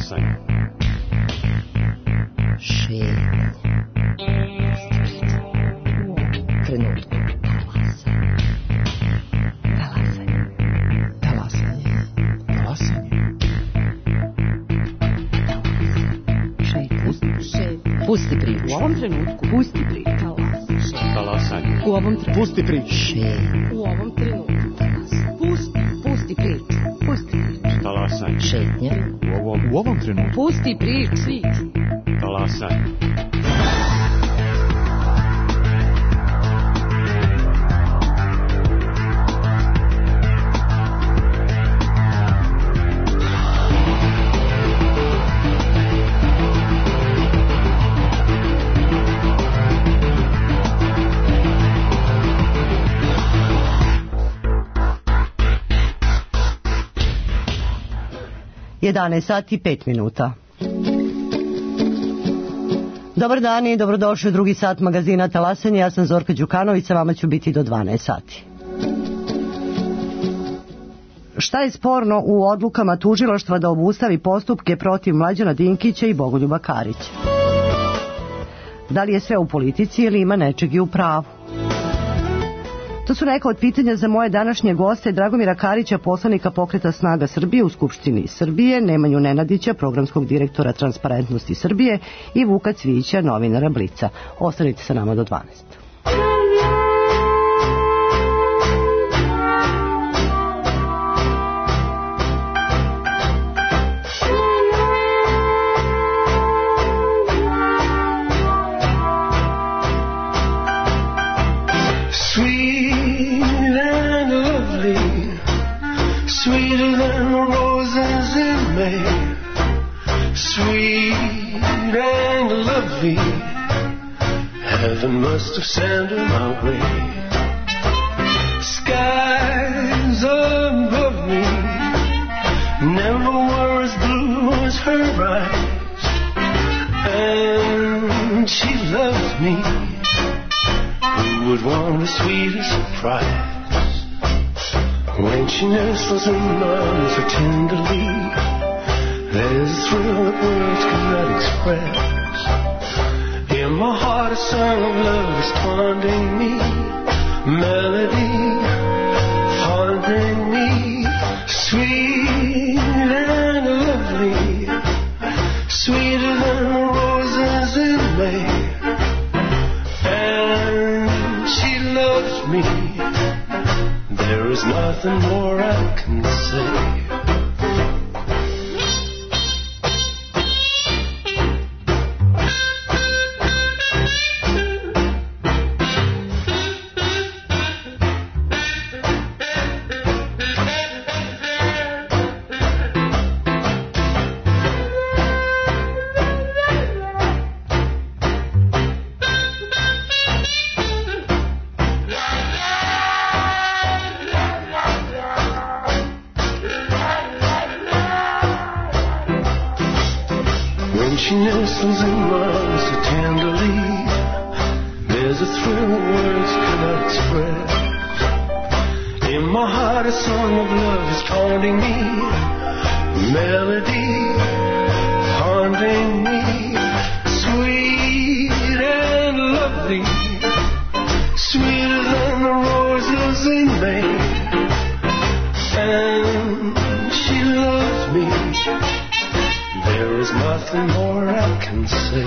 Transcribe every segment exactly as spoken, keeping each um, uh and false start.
Talasanje. Šetnje. Trenutku. Talasanje. Talasanje. Talasanje. Šetnje. Pusti priču. U ovom trenutku. Pusti priču. Talasanje. U ovom trenutku. Pusti priču. Šetnje. U ovom trenutku. Pusti. Pusti priču. Pusti priču. Talasanje. Šetnje. U ovom, u ovom trenutku. Pusti priču. Talasanje. jedanaest sati i pet minuta. Dobar dan i dobrodošli u drugi sat magazina Talasanje. Ja sam Zorka Đukanović, sa vama ću biti do dvanaest sati. Šta je sporno u odlukama tužilaštva da obustavi postupke protiv Mlađana Dinkića i Bogoljuba Karića? Da li je sve u politici ili ima nečeg i u pravu? To su neka od pitanja za moje današnje goste: Dragomira Karića, poslanika Pokreta Snaga Srbije u Skupštini Srbije, Nemanju Nenadića, programskog direktora Transparentnosti Srbije i Vuka Cvijića, novinara Blica. Ostanite sa nama do dvanaest. Sweeter than the roses in May, sweet and lovely, heaven must have sent her my way. Skies above me never were as blue as her eyes, and she loves me. Who would want a sweeter surprise? When she nestles in my arms so tenderly, there's a thrill that words cannot express. In my heart a song of love is haunting me, melody haunting me, sweet and lovely, sweeter than the roses in May, and she loves me. There is nothing more I can say. She nestles in my arms so tenderly, there's a thrill that words cannot express. In my heart a song of love is haunting me, melody haunting me, sweet and lovely, sweeter than the roses in May, and she loves me. There is nothing more I can say.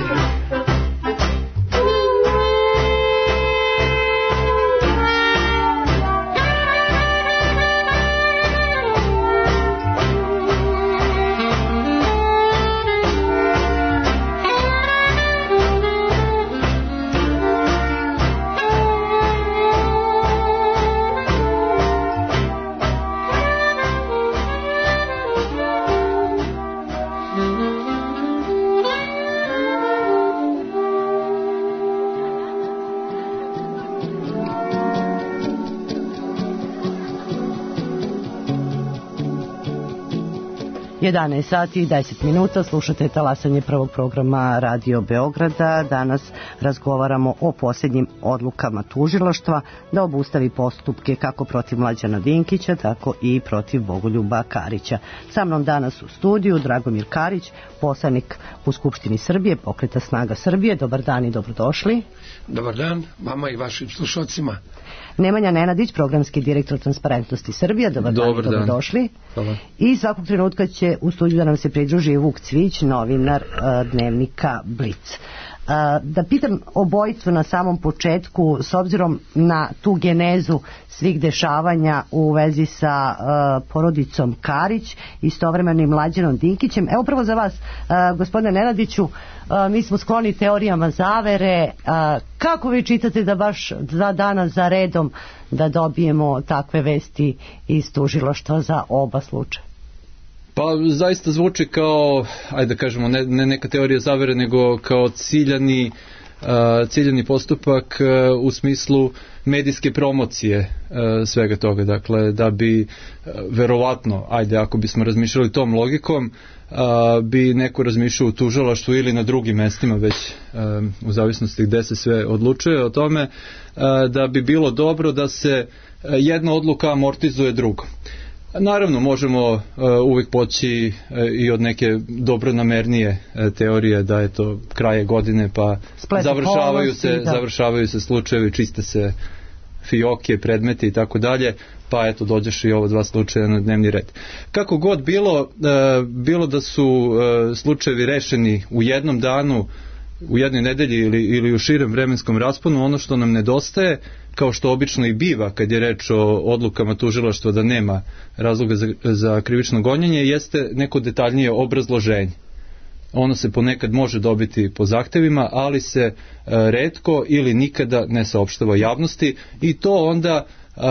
jedanaest sati i deset minuta, slušate talasanje prvog programa Radio Beograda. Danas razgovaramo o posljednjim odlukama tužilaštva da obustavi postupke kako protiv Mlađana Dinkića, tako i protiv Bogoljuba Karića. Sa mnom danas u studiju Dragomir Karić, poslanik u Skupštini Srbije, Pokreta Snaga Srbije. Dobar dan i dobrodošli. Dobar dan vama i vašim slušalcima. Nemanja Nenadić, programski direktor Transparentnosti Srbije. Dobar, Dobar dan i dobrodošli. Hvala. I svakog trenutka će u studiju da nam se pridruži Vuk Cvić, novinar uh, dnevnika Blic. Uh, da pitam obojicu na samom početku, s obzirom na tu genezu svih dešavanja u vezi sa uh, porodicom Karić, istovremeno i Mlađanom Dinkićem. Evo prvo za vas, uh, gospodine Nenadiću, uh, mi smo skloni teorijama zavere. Uh, kako vi čitate da baš dva dana za redom da dobijemo takve vesti iz tužilaštva za oba slučaja? Pa zaista zvuči kao, ajde da kažemo, ne, ne neka teorija zavere, nego kao ciljani, uh, ciljani postupak uh, u smislu medijske promocije uh, svega toga. Dakle, da bi uh, verovatno, ajde ako bismo razmišljali tom logikom, uh, bi neko razmišljao u tužilaštvu ili na drugim mestima, već um, u zavisnosti gde se sve odlučuje o tome, uh, da bi bilo dobro da se uh, jedna odluka amortizuje drugom. Naravno, možemo uh, uvijek poći uh, i od neke dobronamernije uh, teorije da je to kraje godine, pa Splet završavaju se, da. završavaju se slučajevi, čiste se fioke, predmeti i tako dalje, pa eto dođeš i ovo dva slučaja na dnevni red. Kako god bilo, uh, bilo da su uh, slučajevi rešeni u jednom danu, u jednoj nedelji ili, ili u širem vremenskom rasponu, ono što nam nedostaje, kao što obično i biva kad je reč o odlukama tužilaštva da nema razloga za, za krivično gonjenje, jeste neko detaljnije obrazloženje. Ono se ponekad može dobiti po zahtevima, ali se e, retko ili nikada ne saopštava javnosti i to onda e,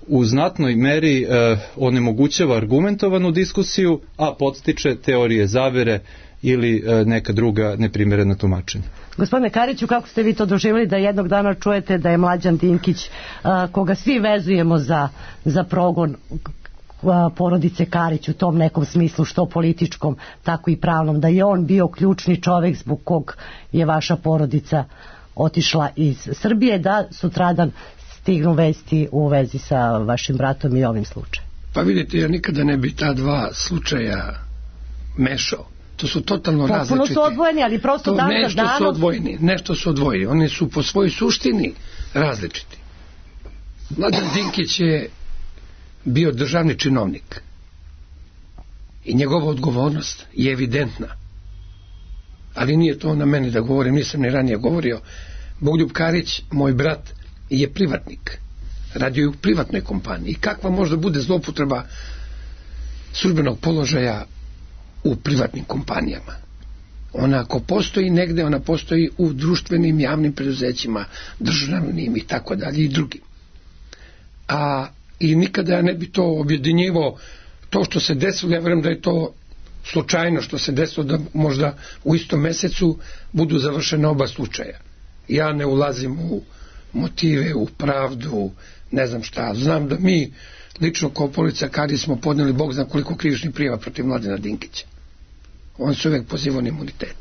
u znatnoj meri e, onemogućava argumentovanu diskusiju, a podstiče teorije zavere ili e, neka druga neprimerena tumačenja. Gospodine Kariću, kako ste vi to doživjeli da jednog dana čujete da je Mlađan Dinkić, a, koga svi vezujemo za, za progon a, porodice Karić u tom nekom smislu, što političkom, tako i pravnom, da je on bio ključni čovjek zbog kog je vaša porodica otišla iz Srbije, da sutradan stignu vesti u vezi sa vašim bratom i ovim slučajem? Pa vidite, ja nikada ne bi ta dva slučaja mešao. To su totalno Potpuno različiti. Potpuno su odvojeni, ali prosto dan za danom... Nešto su odvojeni, nešto su odvojeni. Oni su po svojoj suštini različiti. Mlađan Dinkić je bio državni činovnik. I njegova odgovornost je evidentna. Ali nije to na meni da govorim, nisam ni ranije govorio. Bogoljub Karić, moj brat, je privatnik. Radio je u privatnoj kompaniji. I kakva možda bude zloupotreba službenog položaja u privatnim kompanijama? Ona ako postoji negde, ona postoji u društvenim javnim preduzećima, državnim i tako dalje i drugim. A i nikada ja ne bi to objedinjivao, to što se desilo, ja vjerujem da je to slučajno što se desilo, da možda u istom mesecu budu završene oba slučaja. Ja ne ulazim u motive, u pravdu, ne znam šta. Znam da mi lično kao policija Karić smo podnijeli Bog zna koliko krivičnih prijava protiv Mlađana Dinkića. On se uvijek pozivao na imunitet.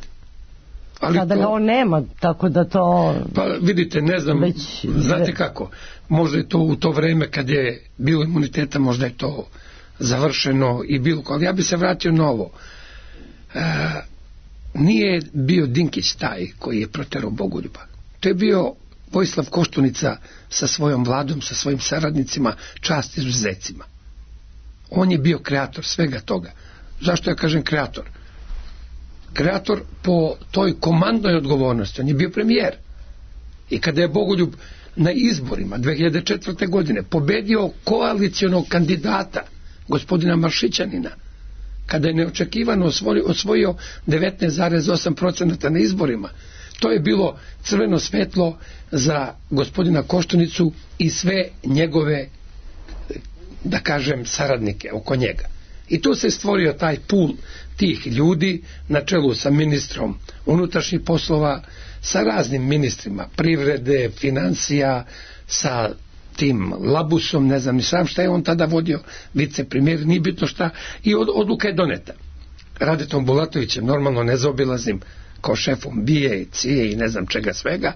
Ali sada to, ga on nema, tako da to... Pa vidite, ne znam, već, znate kako, možda je to u to vreme kad je bilo imuniteta, možda je to završeno i bilo, ali ja bi se vratio na ovo. E, nije bio Dinkić taj koji je proterao Bogoljuba. To je bio Vojislav Koštunica sa svojom vladom, sa svojim saradnicima, čast izuzecima. On je bio kreator svega toga. Zašto ja kažem kreator? Kreator po toj komandnoj odgovornosti. On je bio premijer. I kada je Bogoljub na izborima dve hiljade četvrte. godine pobedio koalicijonog kandidata, gospodina Maršićanina, kada je neočekivano osvojio, osvojio devetnaest zarez osam posto na izborima, to je bilo crveno svetlo za gospodina Koštunicu i sve njegove, da kažem, saradnike oko njega. I tu se stvorio taj pul tih ljudi na čelu sa ministrom unutrašnjih poslova, sa raznim ministrima privrede, financija, sa tim Labusom, ne znam ni sam šta je on tada vodio, vicepremijer, nije bitno šta, i od, odluka je doneta. Radetom Bulatovićem, normalno nezaobilaznim, kao šefom B I A, C I A i ne znam čega svega.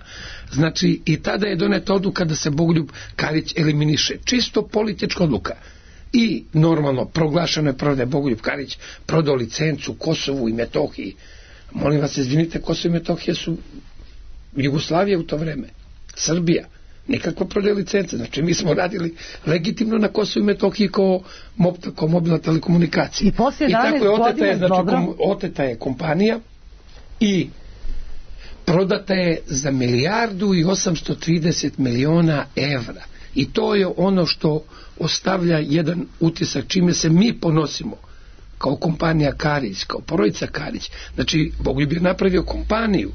Znači, i tada je doneta odluka da se Bogoljub Karić eliminiše. Čisto politička odluka. I normalno proglašeno je prvo da je Bogoljub Karić prodao licencu Kosovu i Metohiji. Molim vas, izvinite, Kosovo i Metohija su Jugoslavija u to vreme, Srbija, nikakva prodaja licence. Znači, mi smo radili legitimno na Kosovu i Metohiji kao, mob, kao mobilna telekomunikacija. I poslije I tako je oteta je, znači, dobro. kom, oteta je kompanija i prodata je za milijardu i osamsto trideset miliona evra. I to je ono što ostavlja jedan utisak čime se mi ponosimo kao kompanija Karić, kao porodica Karić. Znači, Bogoljub je napravio kompaniju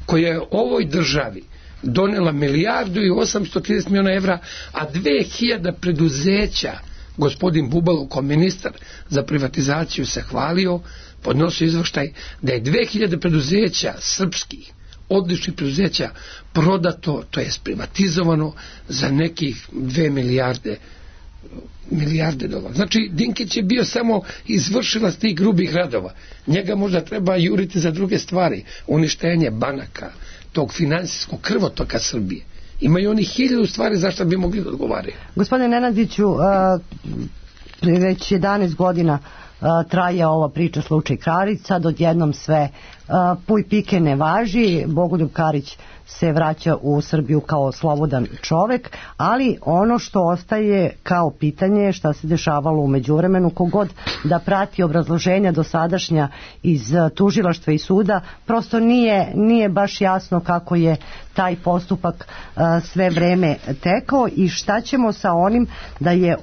koja je ovoj državi donela milijardu i osamsto trideset miliona evra, a dve hiljade preduzeća, gospodin Bubalo kao ministar za privatizaciju se hvalio, podnosio izveštaj da je dve hiljade preduzeća srpskih, odličnih preduzeća prodato, to je privatizovano za nekih dve milijarde milijarde dolara. Znači, Dinkić je bio samo izvršilac tih grubih radova. Njega možda treba juriti za druge stvari. Uništenje banaka, tog finansijskog krvotoka Srbije. Imaju oni hiljadu stvari zašto bi mogli da odgovaraju. Gospodine Nenadiću, uh, već jedanaest godina uh, traje ova priča slučaj Karić, sad odjednom sve uh, puj pike ne važi, Bogoljub Karić se vraća u Srbiju kao slobodan čovek, ali ono što ostaje kao pitanje je šta se dešavalo u međuvremenu. Kogod da prati obrazloženja dosadašnja iz tužilaštva i suda, prosto nije, nije baš jasno kako je taj postupak uh, sve vreme tekao i šta ćemo sa onim da je uh,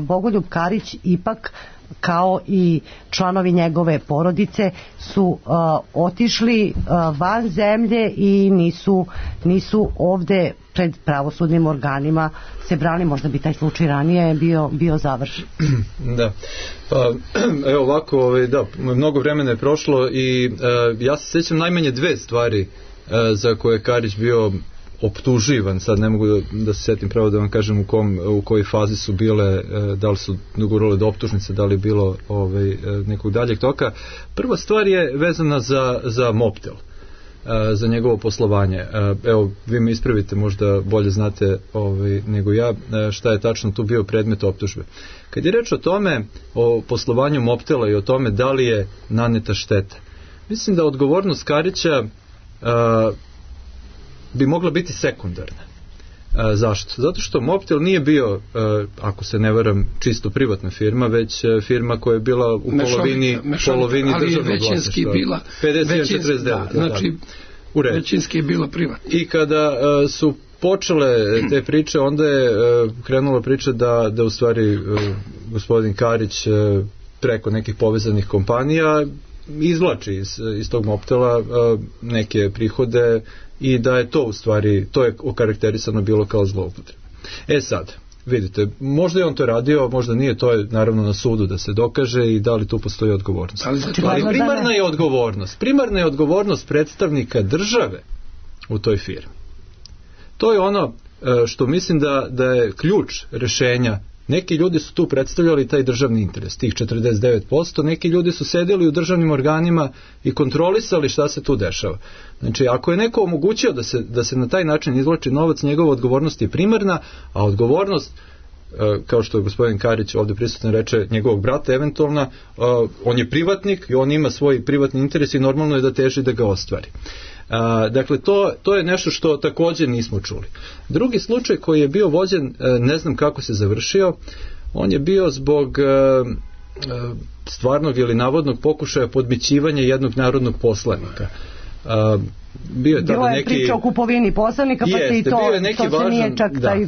Bogoljub Karić ipak kao i članovi njegove porodice su uh, otišli uh, van zemlje i nisu, nisu ovde pred pravosudnim organima se brani. Možda bi taj slučaj ranije bio, bio završen. Da. Pa, evo ovako, ovaj, da, mnogo vremena je prošlo i uh, ja se sjećam najmanje dve stvari uh, za koje je Karić bio optuživan, sad ne mogu da, da se sjetim pravo da vam kažem u, kom, u kojoj fazi su bile, da li su dogurale do optužnice, da li je bilo ovaj, nekog daljeg toka. Prva stvar je vezana za, za Mobtel, za njegovo poslovanje. Evo, vi me ispravite, možda bolje znate ovaj, nego ja šta je tačno tu bio predmet optužbe. Kad je reč o tome, o poslovanju Mobtela i o tome da li je naneta šteta, mislim da odgovornost Karića a, bi mogla biti sekundarna. A, zašto? Zato što Mobtel nije bio, a, ako se ne varam, čisto privatna firma, već a, firma koja je bila u mešovita, polovini, mešovita, polovini državnog većinski bila, pedeset jedan četrdeset devet. Da, znači, većinski je bila privatna. I kada a, su počele te priče, onda je a, krenula priča da, da u stvari a, gospodin Karić a, preko nekih povezanih kompanija izvlači iz, iz tog Mobtela a, neke prihode i da je to u stvari, to je okarakterisano bilo kao zloupotreba. E sad, vidite, možda je on to radio, možda nije, to je naravno na sudu da se dokaže i da li tu postoji odgovornost. Ali, ali primarna je odgovornost, primarna je odgovornost predstavnika države u toj firmi. To je ono što mislim da, da je ključ rešenja. Neki ljudi su tu predstavljali taj državni interes, tih četrdeset devet posto, neki ljudi su sedeli u državnim organima i kontrolisali šta se tu dešava. Znači, ako je neko omogućio da se, da se na taj način izvlači novac, njegova odgovornost je primarna, a odgovornost, kao što je gospodin Karić ovdje prisutan reče, njegovog brata eventualna, on je privatnik i on ima svoj privatni interes i normalno je da teži da ga ostvari. A, dakle, to, to je nešto što također nismo čuli. Drugi slučaj koji je bio vođen, ne znam kako se završio, on je bio zbog a, a, stvarnog ili navodnog pokušaja podmićivanja jednog narodnog poslanika. A, bio je bilo je neki, priča o kupovini poslanika, pa se i to, to se važan, nije čak da. taj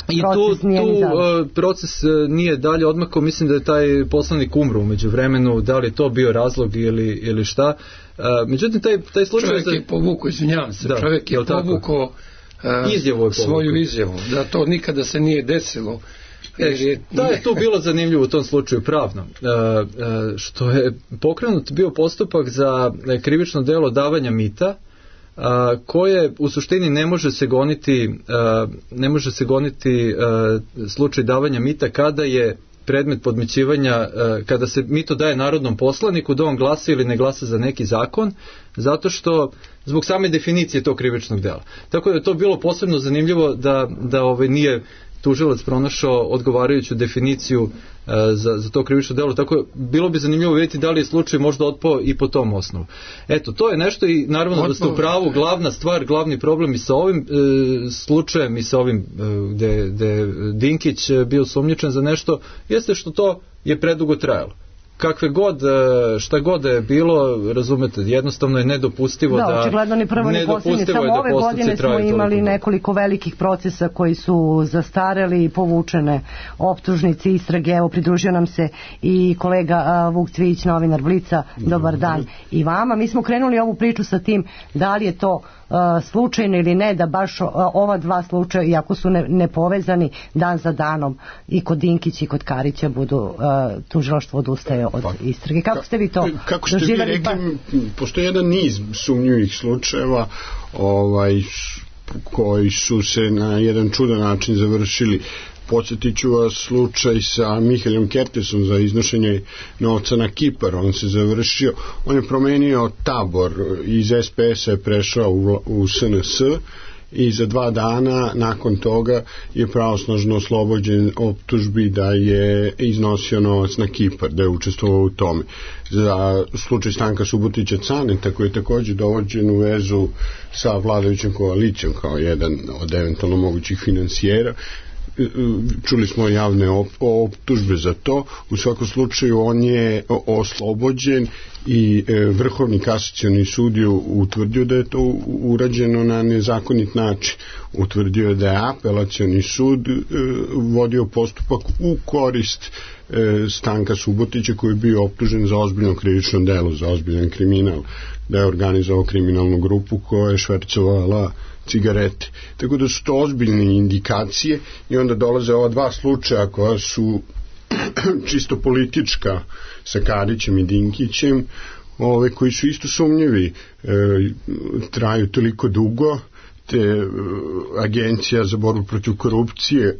I tu, tu uh, proces uh, nije dalje odmakao, mislim da je taj poslanik umro umeđu vremenu, da li je to bio razlog ili, ili šta. Uh, međutim, taj, taj slučaj... Čovjek je povukao, izvinjavam se, da, čovjek je povukao uh, izjavu svoju izjavu, da to nikada se nije desilo. E, da je tu bilo zanimljivo u tom slučaju pravno, uh, uh, što je pokrenut bio postupak za krivično delo davanja mita a, koje u suštini ne može se goniti a, ne može se goniti a, slučaj davanja mita kada je predmet podmićivanja, kada se mito daje narodnom poslaniku da on glasa ili ne glasa za neki zakon, zato što zbog same definicije tog krivičnog dela. Tako da je to bilo posebno zanimljivo da, da ovaj, nije tužilac pronašao odgovarajuću definiciju uh, za, za to krivično delo, tako bilo bi zanimljivo vidjeti da li je slučaj možda otpao i po tom osnovu. Eto, to je nešto i naravno Otpao. Da ste u pravu, glavna stvar, glavni problem i sa ovim uh, slučajem i sa ovim uh, gde, gde Dinkić bio sumnjičan za nešto, jeste što to je predugo trajalo. Kakve god, šta god je bilo, razumete, jednostavno je nedopustivo da... Da, očigledno ni prvo ni posljednje. Samo ove godine smo imali nekoliko velikih procesa koji su zastareli i povučene optužnice, istrage. Evo, pridružio nam se i kolega Vuk Cvijić, novinar Blica. Dobar dan i vama. Mi smo krenuli ovu priču sa tim da li je to slučajno ili ne, da baš ova dva slučaja, iako su ne, nepovezani, dan za danom i kod Dinkića i kod Karića budu uh, tužilaštvo odustaje od istrage. Kako ste vi to kako ste vi rekli, pa... postoji jedan niz sumnjivih slučajeva ovaj, koji su se na jedan čudan način završili. Podsjetit ću vas slučaj sa Mihaelom Kertesom za iznošenje novca na Kipar. On se završio, on je promenio tabor, iz es pe es-a je prešao u, u es en es i za dva dana nakon toga je pravosnažno oslobođen optužbi da je iznosio novac na Kipar, da je učestvovao u tome. Za slučaj Stanka Subotića Caneta, koji je također dovođen u vezu sa vladajućom koalicijom kao jedan od eventualno mogućih finansijera, čuli smo javne optužbe za to. U svakom slučaju on je oslobođen i Vrhovni kasacioni sud je utvrdio da je to urađeno na nezakonit način. Utvrdio je da je apelacioni sud vodio postupak u korist Stanka Subotića, koji je bio optužen za ozbiljno krivično delo, za ozbiljan kriminal, da je organizovao kriminalnu grupu koja je švercovala cigarete. Tako da su to ozbiljne indikacije i onda dolaze ova dva slučaja koja su čisto politička sa Karićem i Dinkićem, ove koji su isto sumnjivi, e, traju toliko dugo, te e, Agencija za borbu protiv korupcije,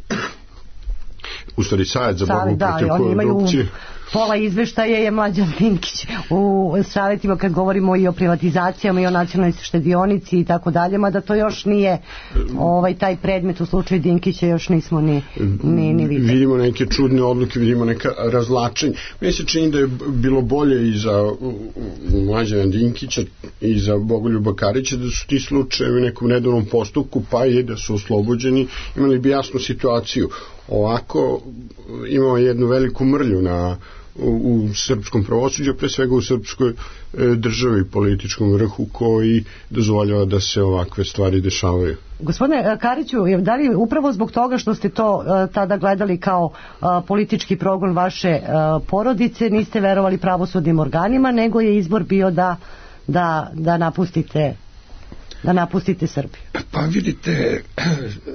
u stvari Savjet za borbu da, protiv korupcije, pola izveštaja je Mlađan Dinkić u savjetima kad govorimo i o privatizacijama i o nacionalnoj štedionici i tako dalje, mada to još nije ovaj, taj predmet u slučaju Dinkića još nismo ni, ni, ni vidjeli. Vidimo neke čudne odluke, vidimo neka razlačenja. Meni se čini da je bilo bolje i za Mlađana Dinkića i za Bogoljuba Karića da su ti slučajevi u nekom redovnom postupku, pa je da su oslobođeni, imali bi jasnu situaciju. Ovako imamo jednu veliku mrlju na u, u srpskom pravosuđu, pre svega u srpskoj e, državi, političkom vrhu, koji dozvoljava da se ovakve stvari dešavaju. Gospodine Kariću, da li upravo zbog toga što ste to e, tada gledali kao e, politički progon vaše e, porodice, niste verovali pravosudnim organima, nego je izbor bio da, da, da napustite da napustite Srbiju? Pa vidite,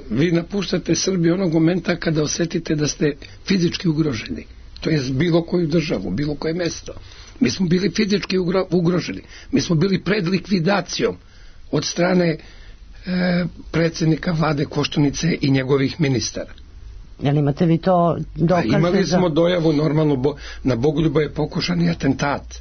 vi napuštate Srbiju onog momenta kada osetite da ste fizički ugroženi. To je bilo koju državu, bilo koje mesto. Mi smo bili fizički ugro, ugroženi. Mi smo bili pred likvidacijom od strane e, predsjednika vlade Koštunice i njegovih ministara. Jel imate vi to dokaze? Pa imali smo za... dojavu normalno, bo, na Bogoljuba je pokušani atentat.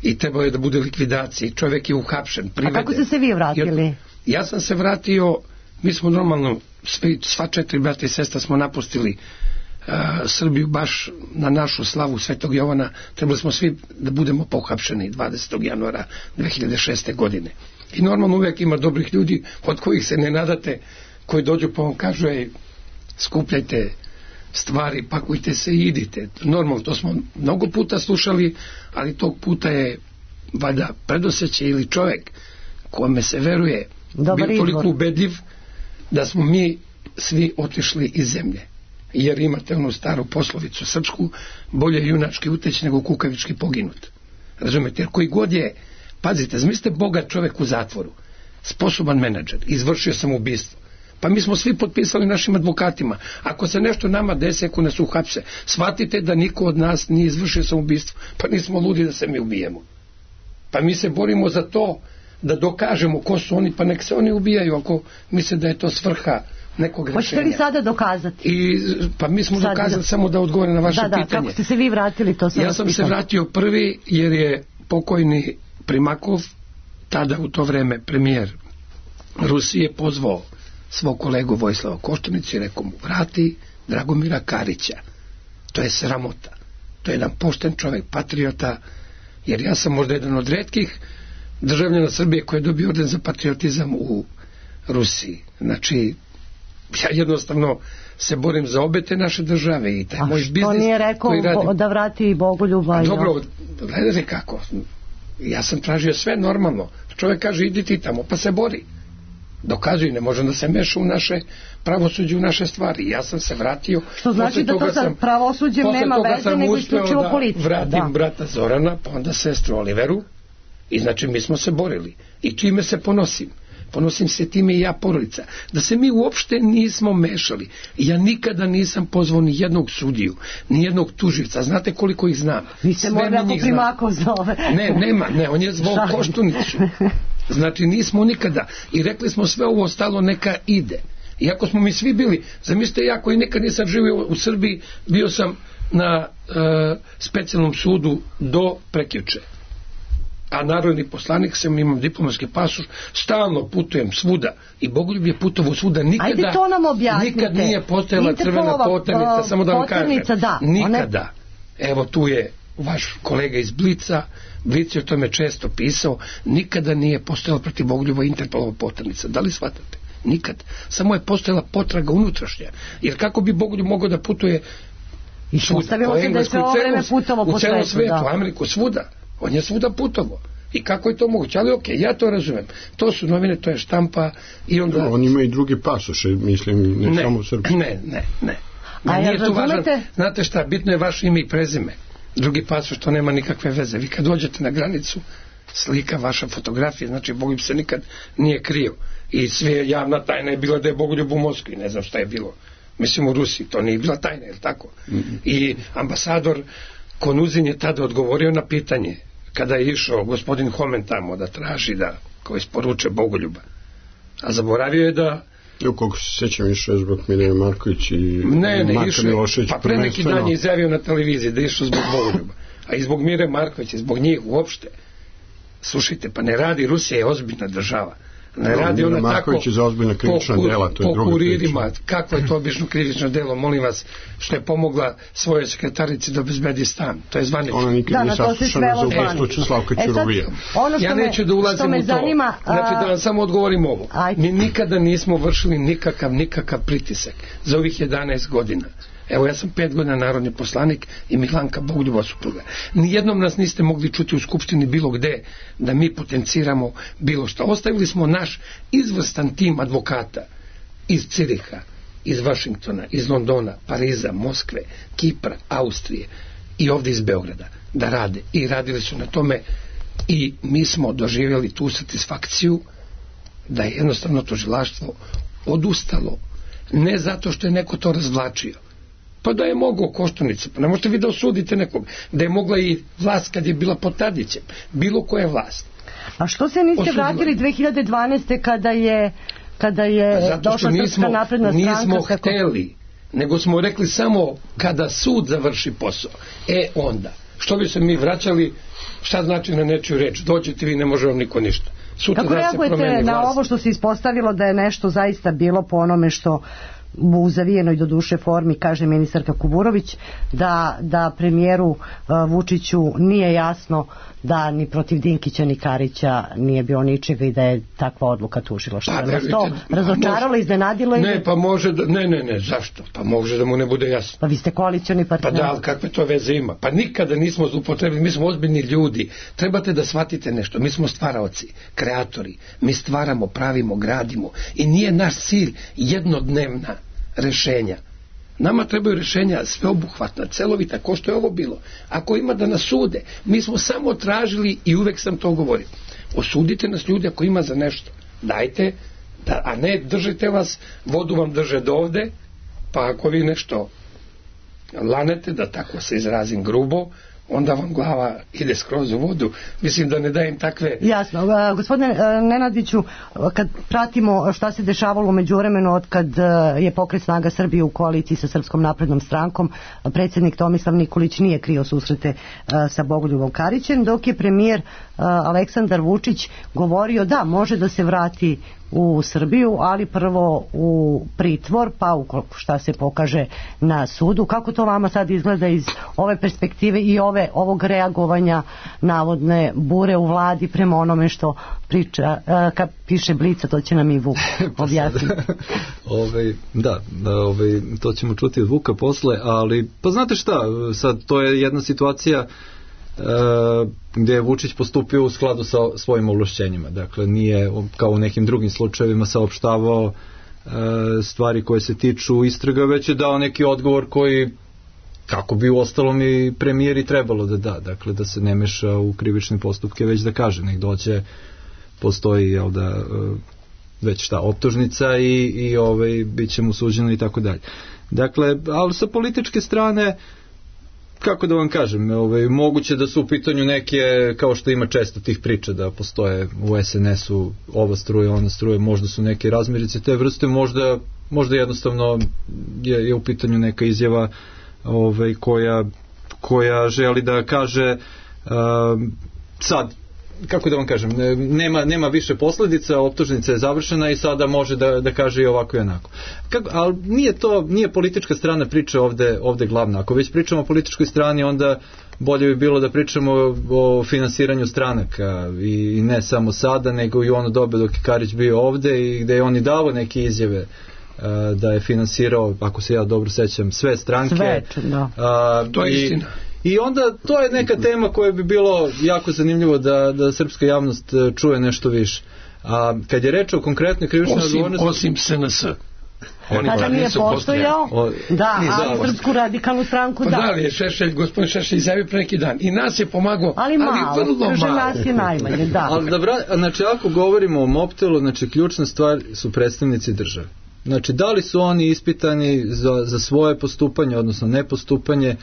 I trebao je da bude likvidacija. Čovjek je uhapšen, priveden. A kako ste se vi vratili? Ja, ja sam se vratio, mi smo normalno, svi, sva četiri brata i sestra smo napustili uh, Srbiju baš na našu slavu Svetog Jovana. Trebali smo svi da budemo pohapšeni dvadesetog januara dve hiljade šeste. godine. I normalno uvijek ima dobrih ljudi od kojih se ne nadate, koji dođu pa vam kažu, ej, skupljajte stvari, pakujte se i idite. Normalno, to smo mnogo puta slušali, ali tog puta je valjda predosjećaj ili čovjek kome se veruje Dobar bio toliko izbor. ubedljiv da smo mi svi otišli iz zemlje. Jer imate onu staru poslovicu srpsku, bolje junački uteći nego kukavički poginut. Razumete? Jer koji god je, pazite, zamislite bogat čovjek u zatvoru, sposoban menadžer, izvršio sam ubistvo. Pa mi smo svi potpisali našim advokatima. Ako se nešto nama desi, ako nas uhapse, shvatite da niko od nas nije izvršio samoubistvo. Pa nismo ludi da se mi ubijemo. Pa mi se borimo za to da dokažemo ko su oni, pa nek se oni ubijaju ako misle da je to svrha nekog rešenja. Hoćete li sada dokazati? I, pa mi smo Sad, dokazali, samo da odgovorim na vaše da, da, pitanje. Kako ste se vi vratili, to sam Ja sam se vratio prvi jer je pokojni Primakov, tada u to vreme premijer Rusije, pozvao svog kolegu Vojislava Koštunicu i rekao mu, vrati Dragomira Karića. To je sramota. To je jedan pošten čovjek, patriota, jer ja sam možda jedan od retkih državljana Srbije koji je dobio orden za patriotizam u Rusiji. Znači, ja jednostavno se borim za obe te naše države i taj A moj biznis što nije rekao koji radim. da vrati Bogoljuba? Dobro, gledajte kako. Ja sam tražio sve normalno. Čovjek kaže, idi ti tamo, pa se bori. Dokazuje, ne može da se meša u naše pravosuđe, u naše stvari. Ja sam se vratio. Što znači da to sa pravosuđem nema veze, nego isključivo politika. Vratim da. brata Zorana, pa onda sestru Oliveru. I znači mi smo se borili. I čime se ponosim? Ponosim se time i ja, porodica. Da se mi uopšte nismo mešali. Ja nikada nisam pozvao ni jednog sudiju, ni jednog tuživca. Znate koliko ih znam? Vi ste morali ako Primakov zove. Ne, nema, ne, on je zvao Koštunicu. Znači nismo nikada. I rekli smo sve ovo ostalo neka ide. Iako smo mi svi bili, zamislite, ja koji nikad nisam živio u Srbiji, bio sam na e, specijalnom sudu do prekjuče. A narodni poslanik sam, imam diplomatski pasoš, stalno putujem svuda i Bogoljub je putovao svuda, nikada, to nam nikad nije postojala crvena poternica, samo da vam kažem, da, nikada. One... Evo tu je vaš kolega iz Blica, Blic je o tome često pisao, nikada nije postojala protiv Bogoljuba Interpolova poternica, da li shvatate? Nikad, samo je postojala potraga unutrašnja, jer kako bi Bogoljub mogao da putuje svuda, po Englesku, u celom svetu, u Ameriku, svuda. On je svuda putovo. I kako je to moguće? Ali okej, okay, ja to razumem. To su novine, to je štampa i onda... No, on ima i drugi pasoše, mislim, ne, ne samo srpski. Ne, ne, ne. A nije tu važan, znate šta, bitno je vaše ime i prezime. Drugi pasoš, to nema nikakve veze. Vi kad dođete na granicu, slika, vaša fotografija, znači Bogoljub se nikad nije krio. I sve javna tajna je bila da je Bogoljub u Moskvi, ne znam šta je bilo. Mislim u Rusiji, to nije bila tajna, je li tako? Mm-hmm. I ambasador Konuzin je tada odgovorio na pitanje kada je išao gospodin Homen tamo da traži da kao isporuče Bogoljuba. A zaboravio je da... U koliko se sećam išao zbog Mirjana Marković i ne, ne, Marka išao, Milošević. Pa pre neki dan je izjavio na televiziji da je išao zbog Bogoljuba. A i zbog Mire Markovića, zbog njih uopšte. Slušajte, pa ne radi, Rusija je ozbiljna država. Ne radi ona tako za ozbiljna krivična po, dela, to je po kuririma, kako je to obično krivično delo, molim vas, što je pomogla svojoj sekretarici da obezbedi stan, to je zvanično. Ona nikad nije saslušana za ubojstvo Slavka Ćuruvija. Ja neću da ulazim u to, zanima, a... znači da vam samo odgovorim ovo. Ajde. Mi nikada nismo vršili nikakav, nikakav pritisak za ovih jedanaest godina. Evo, ja sam pet godina narodni poslanik i Milanka Bogoljubova supruga. Nijednom nas niste mogli čuti u skupštini bilo gde da mi potenciramo bilo što. Ostavili smo naš izvrstan tim advokata iz Ciriha, iz Vašingtona, iz Londona, Pariza, Moskve, Kipra, Austrije i ovdje iz Beograda da rade. I radili su na tome i mi smo doživjeli tu satisfakciju da je jednostavno tužilaštvo odustalo. Ne zato što je neko to razvlačio, pa da je mogao Koštunica, pa ne možete vi da osudite nekog, da je mogla i vlast kad je bila pod Tadićem, bilo koja vlast. A što se niste osudila? Vratili dve hiljade dvanaeste kada je, kada je došla Srpska napredna stranka? Nismo kako... hteli, nego smo rekli samo kada sud završi posao. E onda, što bi se mi vraćali, šta znači na nečiju reč? Dođete vi, ne može vam niko ništa. Sutra kako da reagujete na ovo što se ispostavilo da je nešto zaista bilo po onome što u zavijenoj do duše formi kaže ministarka Kuburović, da, da premijeru uh, Vučiću nije jasno da ni protiv Dinkića ni Karića nije bio ničega i da je takva odluka tužilaštva. Pa, ne, to razočaralo, iznenadilo? Ne, je... pa može da, ne, ne, ne, zašto? Pa može da mu ne bude jasno. Pa vi ste koalicioni partner. Pa da, ali kakve to veze ima? Pa nikada nismo zloupotrebili, mi smo ozbiljni ljudi. Trebate da shvatite nešto, mi smo stvaraoci, kreatori, mi stvaramo, pravimo, gradimo i nije naš cilj jednodnevna rešenja. Nama trebaju rešenja sveobuhvatna, celovita, ko što je ovo bilo. Ako ima da nas sude, mi smo samo tražili i uvek sam to govorio. Osudite nas ljudi ako ima za nešto. Dajte, da, a ne držite vas, vodu vam drže do ovde, pa ako vi nešto lanete, da tako se izrazim grubo, onda vam glava ide skroz u vodu. Mislim da ne dajem takve... Jasno. A, gospodine a, Nenadiću, kad pratimo šta se dešavalo u međuvremenu od kad a, je Pokret Snaga Srbije u koaliciji sa Srpskom naprednom strankom, predsjednik Tomislav Nikolić nije krio susrete a, sa Bogoljubom Karićem, dok je premijer a, Aleksandar Vučić govorio da može da se vrati u Srbiju, ali prvo u pritvor, pa ukoliko šta se pokaže na sudu. Kako to vama sad izgleda iz ove perspektive i ove, ovog reagovanja navodne bure u vladi prema onome što priča, kad piše Blica, to će nam i Vuk objasniti. Ove, da, da ove, to ćemo čuti od Vuka posle, ali pa znate šta, sad to je jedna situacija Uh, gdje je Vučić postupio u skladu sa svojim ovlašćenjima. Dakle, nije kao u nekim drugim slučajevima saopštavao uh, stvari koje se tiču istraga, već je dao neki odgovor koji, kako bi u ostalom i premijeri trebalo da da. Dakle, da se ne meša u krivične postupke, već da kaže, nek dođe, postoji, jel da, uh, već šta, optužnica i, i ovaj, bit će mu suđeno i tako dalje. Dakle, ali sa političke strane, kako da vam kažem, ovaj, moguće da su u pitanju neke, kao što ima često tih priča da postoje u es en esu ova struja, ona struja, možda su neke razmirice te vrste, možda, možda jednostavno je, je u pitanju neka izjava ovaj, koja, koja želi da kaže uh, sad, kako da vam kažem, nema, nema više posljedica, optužnica je završena i sada može da, da kaže i ovako i onako. Kako, ali nije to, nije politička strana priče ovde, ovde glavna. Ako već pričamo o političkoj strani, onda bolje bi bilo da pričamo o, o finansiranju stranaka i, i ne samo sada, nego i ono dobe dok je Karić bio ovde i gde je on i davo neke izjave a, da je finansirao, ako se ja dobro sećam, sve stranke. Sve, da. A, to je i, istina. I onda to je neka tema koja bi bilo jako zanimljivo da, da srpska javnost čuje nešto više. A kad je reč o konkretnoj krivičnoj odgovornosti... Osim S N S. Oni tada nije postojao, da, a Srpsku radikalnu stranku da. Pa da li je Šešelj, gospodin Šešelj izjavio pre neki dan i nas je pomagao, ali malo, ali vrlo kaže malo. Nas je najmanje, da. Ali da vra... znači ako govorimo o Mobtelu, znači ključna stvar su predstavnici države. Znači da li su oni ispitani za, za svoje postupanje, odnosno nepostupanje,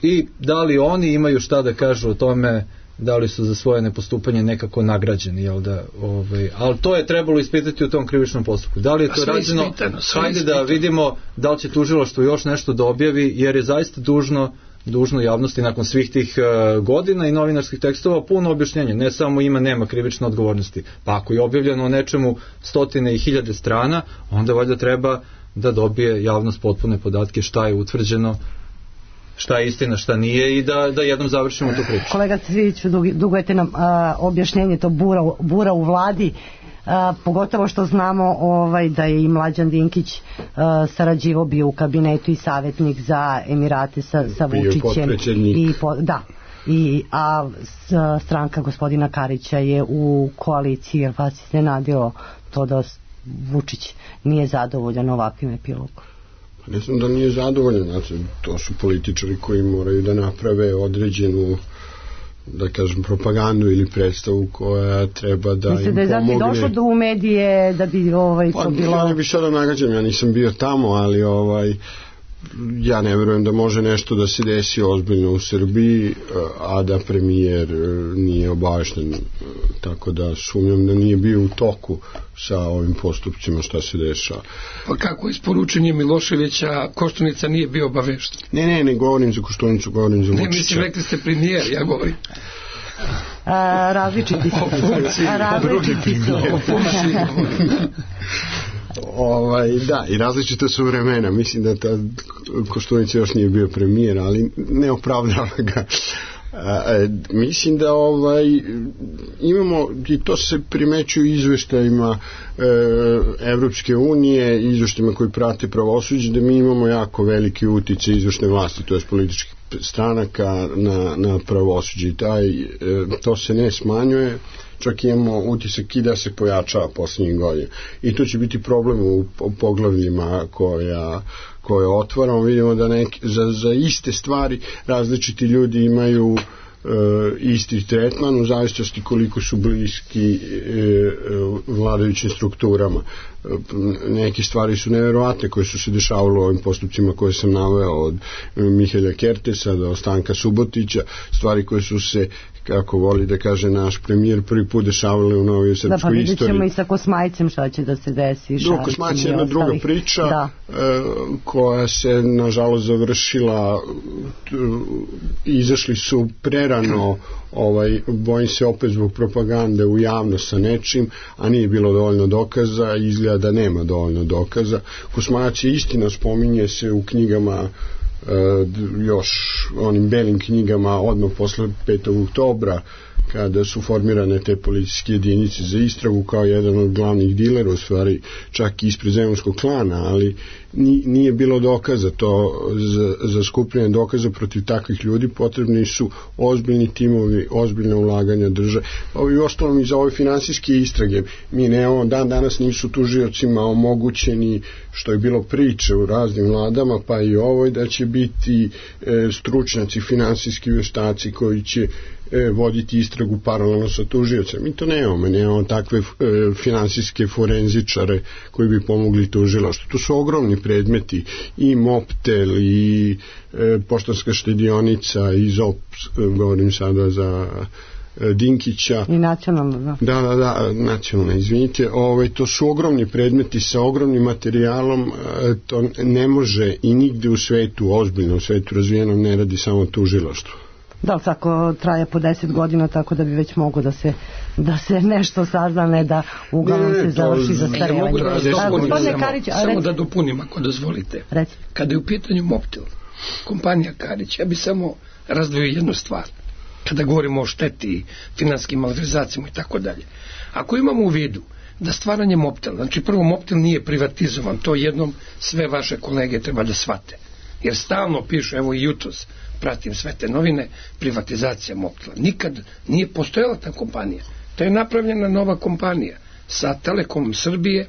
i da li oni imaju šta da kažu o tome, da li su za svoje nepostupanje nekako nagrađeni, jel da, ovaj, ali to je trebalo ispitati u tom krivičnom postupku. Da li je to rađeno? Hajde da vidimo da li će tužilaštvo još nešto da objavi, jer je zaista dužno, dužno javnosti nakon svih tih uh, godina i novinarskih tekstova puno objašnjenja, ne samo ima, nema krivične odgovornosti. Pa ako je objavljeno o nečemu stotine i hiljade strana, onda valjda treba da dobije javnost potpune podatke šta je utvrđeno, šta je istina, šta nije i da, da jednom završimo tu priču. Kolega Cviću, dugujete nam a, objašnjenje to bura, bura u vladi, a, pogotovo što znamo ovaj, da je i Mlađan Dinkić a, sarađivo bio u kabinetu i savjetnik za Emirate sa, sa Vučićem. I po, da. I, a s, stranka gospodina Karića je u koaliciji, jer vas iznenadilo to da Vučić nije zadovoljan ovakvim epilogom? Ne znam da nije zadovoljan, znači, to su političari koji moraju da naprave određenu, da kažem, propagandu ili predstavu koja treba da Mislim, im da je pomogne. Mislim da je došlo do u medije da bi ovaj, pa, to bilo... Ja ne bi sada nagađam, ja nisam bio tamo, ali ovaj, ja ne verujem da može nešto da se desi ozbiljno u Srbiji, a da premijer nije obavešten, tako da sumnjam da nije bio u toku sa ovim postupcima šta se dešava. Pa kako isporučenje Miloševića Koštunica nije bio obavešten? Ne, ne, ne govorim za Koštunicu, govorim za Vučića. Ne, mislim, rekli ste premijer, ja govorim. A, različiti su. A, različiti su. Ovaj, da, i različite su vremena. Mislim da ta Koštunica još nije bio premijer, ali ne opravdava ga. A, mislim da ovaj imamo, i to se primećuje u izveštajima e, Evropske unije, izveštajima koji prate pravosuđe, da mi imamo jako veliki uticaj izvršne vlasti, to je političkih stranaka na, na pravosuđe, i taj, e, to se ne smanjuje, čak imamo utisak i da se pojačava posljednjih godina. I to će biti problem u poglavljima koja, koje otvaramo. Vidimo da neki, za, za iste stvari različiti ljudi imaju isti tretman u zavisnosti koliko su bliski vladajućim strukturama. Neke stvari su neverovatne koje su se dešavale u ovim postupcima koje sam naveo, od Mihelja Kertesa do Stanka Subotića, stvari koje su se, kako voli da kaže naš premijer, prvi put dešavale u novoj srpskoj istoriji. Da, pa vidjet ćemo i sa Kosmajcem šta će da se desi. Do, Kosmajc je jedna druga priča da. koja se nažalost završila, izašli su prerano, ovaj, bojim se opet zbog propagande u javnost sa nečim, a nije bilo dovoljno dokaza i izgleda da nema dovoljno dokaza. Kosmajac je istina, spominje se u knjigama, još onim belim knjigama odmah posle petog oktobra, kada su formirane te policijske jedinice za istragu, kao jedan od glavnih dilera, u stvari čak i ispred zemunskog klana, ali nije bilo dokaza. To za, za skupljanje dokaza protiv takvih ljudi potrebni su ozbiljni timovi, ozbiljne ulaganja države. I ostalom i za ove finansijske istrage. Mi nemamo, dan danas nisu tužiocima omogućeni, što je bilo priče u raznim vladama, pa i ovoj, da će biti e, stručnjaci, finansijski veštaci koji će e, voditi istragu paralelno sa tužiocem. Mi to nemamo, nemamo takve e, finansijske forenzičare koji bi pomogli tužilaštvu. To su ogromni predmeti, i Moptel, i e, Poštanska štedionica, i ZOP, govorim sada za Dinkića. I nacionalno, da. Da, da, da, nacionalno, izvinite. Ovaj, to su ogromni predmeti sa ogromnim materijalom, to ne može i nigde u svetu, ozbiljno u svetu razvijenom, ne radi samo tužilaštvo. Da li tako traje po deset godina, tako da bi već mogo da se, da se nešto saznane, da uglavnom se završi za starevanje. Ja mogu da vas dopunim, samo, Karić, samo da dopunim, ako dozvolite. Reci. Kada je u pitanju Moptel, kompanija Karić, ja bi samo razdvojio jednu stvar. Kada govorimo o šteti, finanskim malverzacijama i tako dalje. Ako imamo u vidu da stvaranje Moptela, znači prvo Moptel nije privatizovan, to jednom sve vaše kolege treba da shvate. Jer stalno pišu, evo i jutros pratim sve te novine, privatizacija Moptela. Nikad nije postojala ta kompanija. To je napravljena nova kompanija sa Telekomom Srbije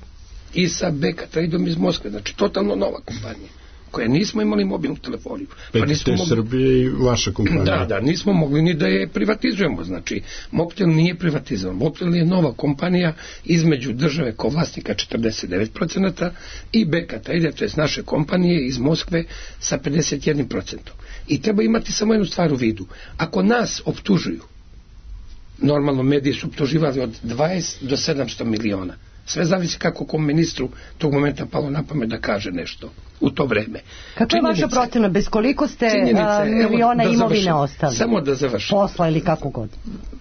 i sa Beka Tradeom iz Moskve. Znači totalno nova kompanija, koje nismo imali mobilnu telefoniju. Pa nismo mogli... Srbije i vaša kompanija. Da, da, nismo mogli ni da je privatizujemo. Znači, Moptel nije privatizovan. Moptel je nova kompanija između države kao vlasnika četrdeset devet procenata i Beka Trade, to je naše kompanije iz Moskve sa pedeset jedan procenat. I treba imati samo jednu stvar u vidu. Ako nas optužuju, normalno mediji su optuživali od dvadeset do sedamsto miliona. Sve zavisi kako kom ministru tog momenta palo na pamet da kaže nešto u to vreme. Kako je vaša procena? Bez koliko ste a, miliona imovine ostali? Samo da završim. Posla ili kako god?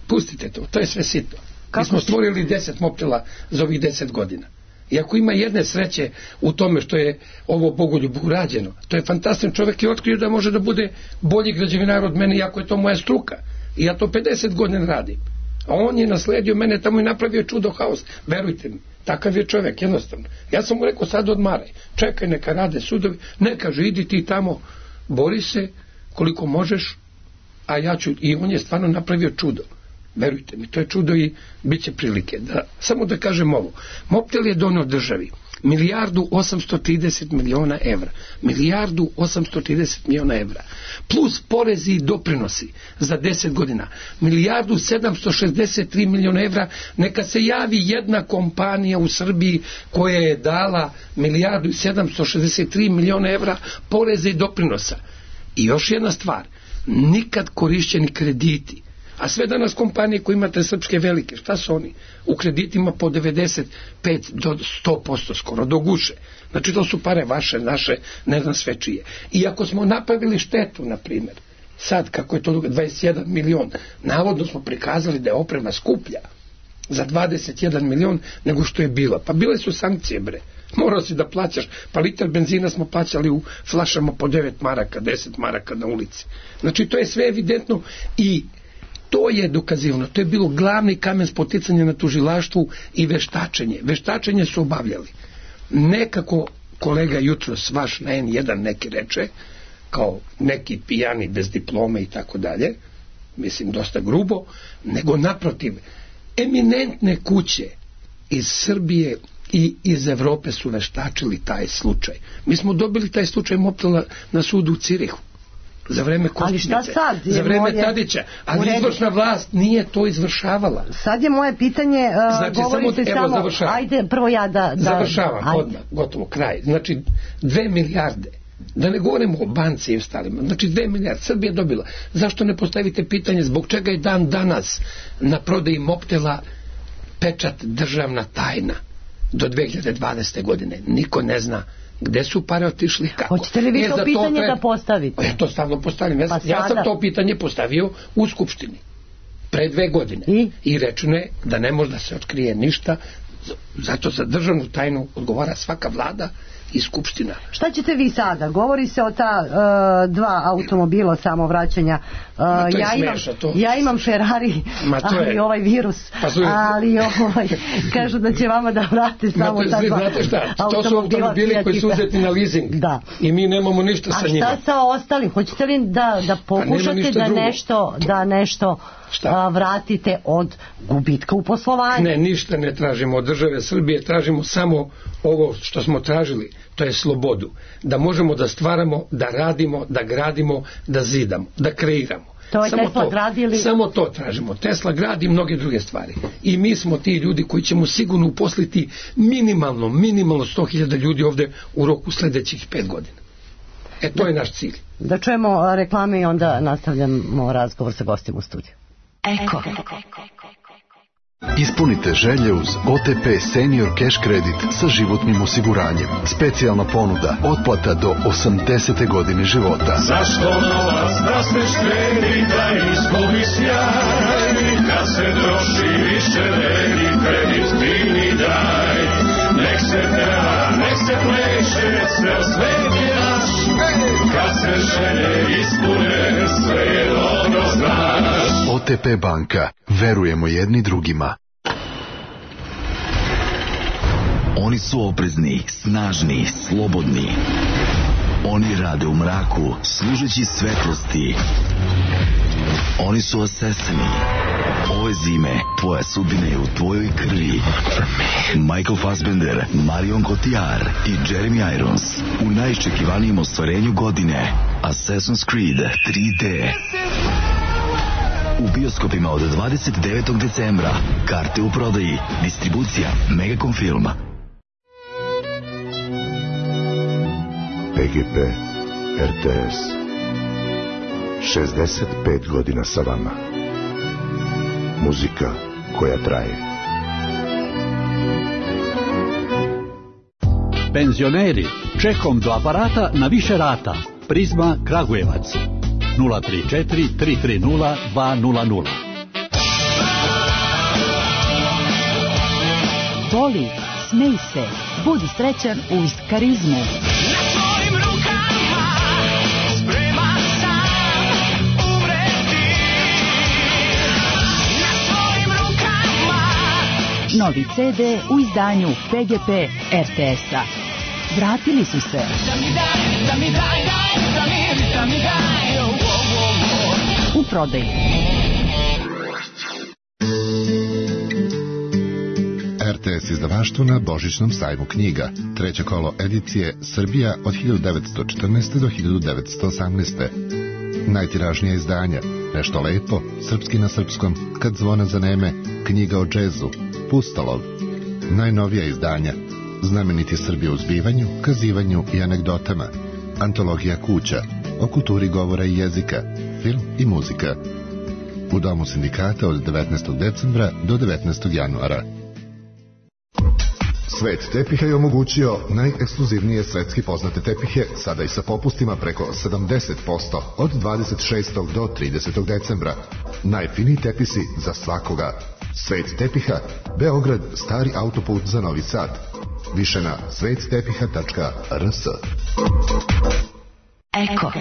Pustite to, to je sve sitno. Mi smo stvorili deset Moptela za ovih deset godina. I ako ima jedne sreće u tome što je ovo Bogoljubu urađeno, to je fantastičan čovjek i otkrio da može da bude bolji građevinar od mene, iako je to moja struka. I ja to pedeset godina radim. A on je nasledio mene tamo i napravio čudo, haos. Verujte mi, takav je čovjek, jednostavno. Ja sam mu rekao, sad odmaraj, čekaj, neka rade sudovi, ne, kaže, idi ti tamo, bori se koliko možeš, a ja ću, i on je stvarno napravio čudo. Verujte mi, to je čudo i bit će prilike. Da, samo da kažem ovo, Moptel je donio državi milijardu osamsto trideset miliona evra. Milijardu osamsto trideset miliona evra. Plus porezi i doprinosi za deset godina. Milijardu sedamsto šezdeset tri miliona evra. Neka se javi jedna kompanija u Srbiji koja je dala milijardu sedamsto šezdeset tri miliona evra poreza i doprinosa. I još jedna stvar. Nikad korišćeni krediti. A sve danas kompanije koje imate srpske velike, šta su oni? U kreditima po devedeset pet do sto posto skoro, do guše. Znači to su pare vaše, naše, ne znam sve čije. I ako smo napravili štetu, na primjer, sad kako je to dvadeset jedan milion, navodno smo prikazali da je oprema skuplja za dvadeset jedan milion nego što je bila. Pa bile su sankcije, bre. Morao si da plaćaš, pa liter benzina smo plaćali u flašama po devet maraka, deset maraka na ulici. Znači to je sve evidentno i to je dokazivano, to je bilo glavni kamen spoticanja na tužilaštvu i veštačenje. Veštačenje su obavljali. Nekako kolega jutros vaš na en jedan neki reče, kao neki pijani bez diplome i tako dalje, mislim dosta grubo, nego naprotiv, eminentne kuće iz Srbije i iz Evrope su veštačili taj slučaj. Mi smo dobili taj slučaj Moptela na sudu u Cirihu. za vreme Koštunice, za vreme moje... Tadića, ali izvršna vlast nije to izvršavala. Sad je moje pitanje, uh, znači, govorite samo, samo završavam. Ajde, prvo ja da... da završavam, ajde. Odmah, gotovo, kraj. Znači, dve milijarde, da ne govorimo o banci i ostalima, znači dve milijarde, Srbija dobila. Zašto ne postavite pitanje zbog čega je dan danas na prodaji Mobtela pečat državna tajna do dve hiljade dvadesete. godine? Niko ne zna gde su pare otišli, kako. Hoćete li vi to pitanje to pre... da postavite? Ja to stavno postavljam. Ja, pa ja sam to pitanje postavio u Skupštini pre dve godine. I, I rečeno je da ne može da se otkrije ništa, zato za državnu tajnu odgovara svaka vlada i Skupština. Šta ćete vi sada? Govori se o ta uh, dva automobila samovraćanja. Uh, ja, smiješno, imam, to... ja imam Ferrari, ali je... ovaj virus. Pa su... Ali ovaj, kažu da će vama da vrate samo ta dva znate šta? To su automobili koji su uzeti na leasing. Da. I mi nemamo ništa sa njima. A šta sa ostalim? Hoćete li da, da pokušate da nešto, da nešto a, vratite od gubitka u poslovanju? Ne, ništa ne tražimo od države Srbije, tražimo samo ovo što smo tražili, to je slobodu. Da možemo da stvaramo, da radimo, da gradimo, da zidamo, da kreiramo. To je samo Tesla to, gradili... Samo to tražimo. Tesla gradi mnoge druge stvari. I mi smo ti ljudi koji ćemo sigurno uposliti minimalno, minimalno sto hiljada ljudi ovde u roku sledećih pet godina. E, to je naš cilj. Da čujemo reklame i onda nastavljamo razgovor sa gostima u studiju. Eko. Ispunite želje uz O T P Senior Cash Credit sa životnim osiguranjem. Specijalna ponuda, otplata do osamdesete godine života. Zašto novac da se štedi, da izgubi sjaj, kad se troši više vredi, kredit divni daj. Nek se peva, nek se pleše, ceo svet je naš, kad se želje ispune, sve je dobro znaš. O T P banka, verujemo jedni drugima. Oni su oprezni, snažni, slobodni. Oni rade u mraku, služeći svetlosti. Oni su osesani. Ove zime, tvoja sudbina je u tvojoj krvi. Michael Fassbender, Marion Cotillard i Jeremy Irons u najiščekivanijem ostvarenju godine, Assassin's Creed tri D. U bioskopima od dvadeset devetog decembra. Karte u prodaji. Distribucija Megacom Film. P G P R T S šezdeset pet godina sa vama. Muzika koja traje. Penzioneri, čekom do aparata na više rata. Prizma Kragujevac nula tri četiri tri tri nula dva nula nula. Voli, smej se, budi srećan uz Karizmu. Novi C D u izdanju P G P R T S-a. Vratili su se. U prodaji. R T S izdavaštvo na Božićnom sajmu knjiga. Treće kolo edicije Srbija od hiljadu devetsto četrnaeste. do hiljadu devetsto osamnaeste. Najtiražnija izdanja: Nešto lepo, Srpski na srpskom, Kad zvona zaneme, Knjiga o džezu, Pustolov. Najnovija izdanja: Znameniti Srbi u zbivanju, kazivanju i anegdotama, Antologija kuća, o kulturi govora i jezika, film i muzika. U Domu sindikata od devetnaestog decembra do devetnaestog januara. Svet tepiha je omogućio najekskluzivnije svetski poznate tepihe, sada i sa popustima preko sedamdeset posto od dvadeset šestog do tridesetog decembra. Najfiniji tepisi za svakoga. Svet tepiha, Beograd, stari autoput za Novi Sad. Više na svet tepiha tačka r s. Eko.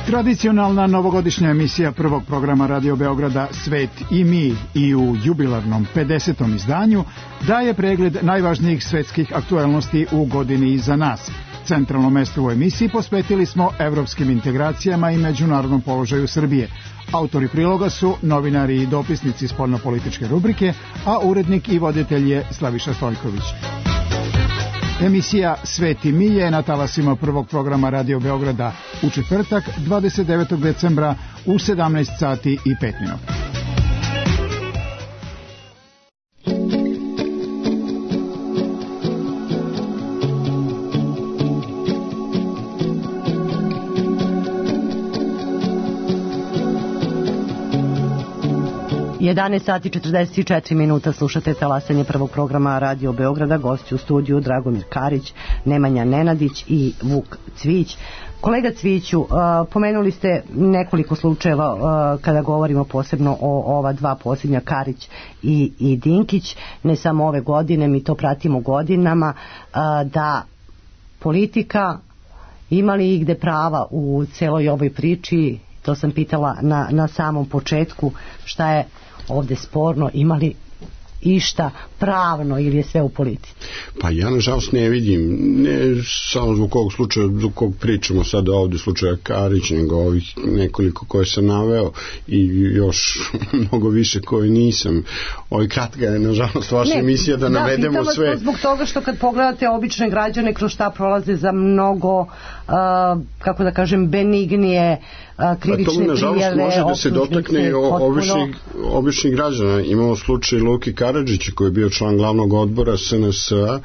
Tradicionalna novogodišnja emisija prvog programa Radio Beograda Svet i mi i u jubilarnom pedesetom izdanju daje pregled najvažnijih svetskih aktuelnosti u godini iza nas. Centralno mesto u emisiji posvetili smo evropskim integracijama i međunarodnom položaju Srbije. Autori priloga su novinari i dopisnici spoljnopolitičke rubrike, a urednik i voditelj je Slaviša Stojković. Emisija Svet i mi je na talasima prvog programa Radio Beograda u četvrtak dvadeset devetog decembra u sedamnaest sati i pet minuta. jedanaest sati četrdeset četiri minuta, slušate talasanje prvog programa Radio Beograda. Gosti u studiju Dragomir Karić, Nemanja Nenadić i Vuk Cvić. Kolega Cviću, uh, pomenuli ste nekoliko slučajeva uh, kada govorimo posebno o ova dva posljednja, Karić i, i Dinkić. Ne samo ove godine, mi to pratimo godinama, uh, da politika ima li igde prava u celoj ovoj priči. To sam pitala na, na samom početku, šta je ovde sporno, imali išta pravno ili je sve u politici? Pa ja nažalost ne vidim, ne samo zbog kog slučaja, zbog kog pričamo sada ovde, slučaja Karić, nego ovih nekoliko koje sam naveo i još mnogo više koje nisam. Ovo kratka je nažalost vaša ne, emisija da, da navedemo sve. Da, zbog toga što kad pogledate obične građane kroz šta prolaze za mnogo, uh, kako da kažem, benignije uh, krivične prijave. A to nažalost može da se dotakne običnih, običnih građana. Imamo slučaj Luki Karadžića koji je bio član glavnog odbora S N S-a.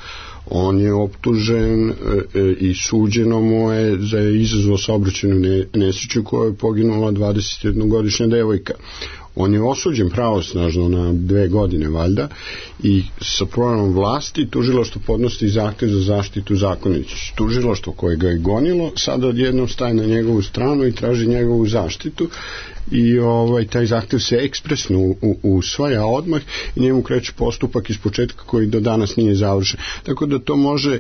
On je optužen e, e, i suđeno mu je za izazvao saobraćajnu nesreću koja je poginula dvadesetjednogodišnja devojka. On je osuđen pravosnažno na dve godine valjda i sa promenom vlasti tužilaštvo podnosi zahtev za zaštitu zakonitosti. Tužilaštvo koje ga je gonilo sada odjednom staje na njegovu stranu i traži njegovu zaštitu i ovaj taj zahtev se ekspresno u, u, usvaja odmah i njemu kreće postupak iz početka koji do danas nije završen. Tako da to može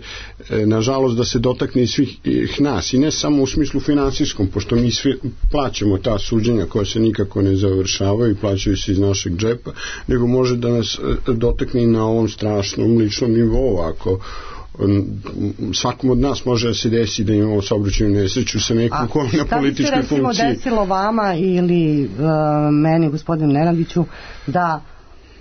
e, nažalost da se dotakne i svih ih nas i ne samo u smislu finansijskom, pošto mi svi plaćamo ta suđenja koja se nikako ne završavaju i plaćaju se iz našeg džepa, nego može da nas e, dotakne i na ovom strašnom ličnom nivou. Ako svakom od nas može da se desi da imamo saobraćajnu nesreću sa nekom ko na političkoj funkciji. A šta bi se recimo desilo vama ili uh, meni, gospodinu Nenadiću, da,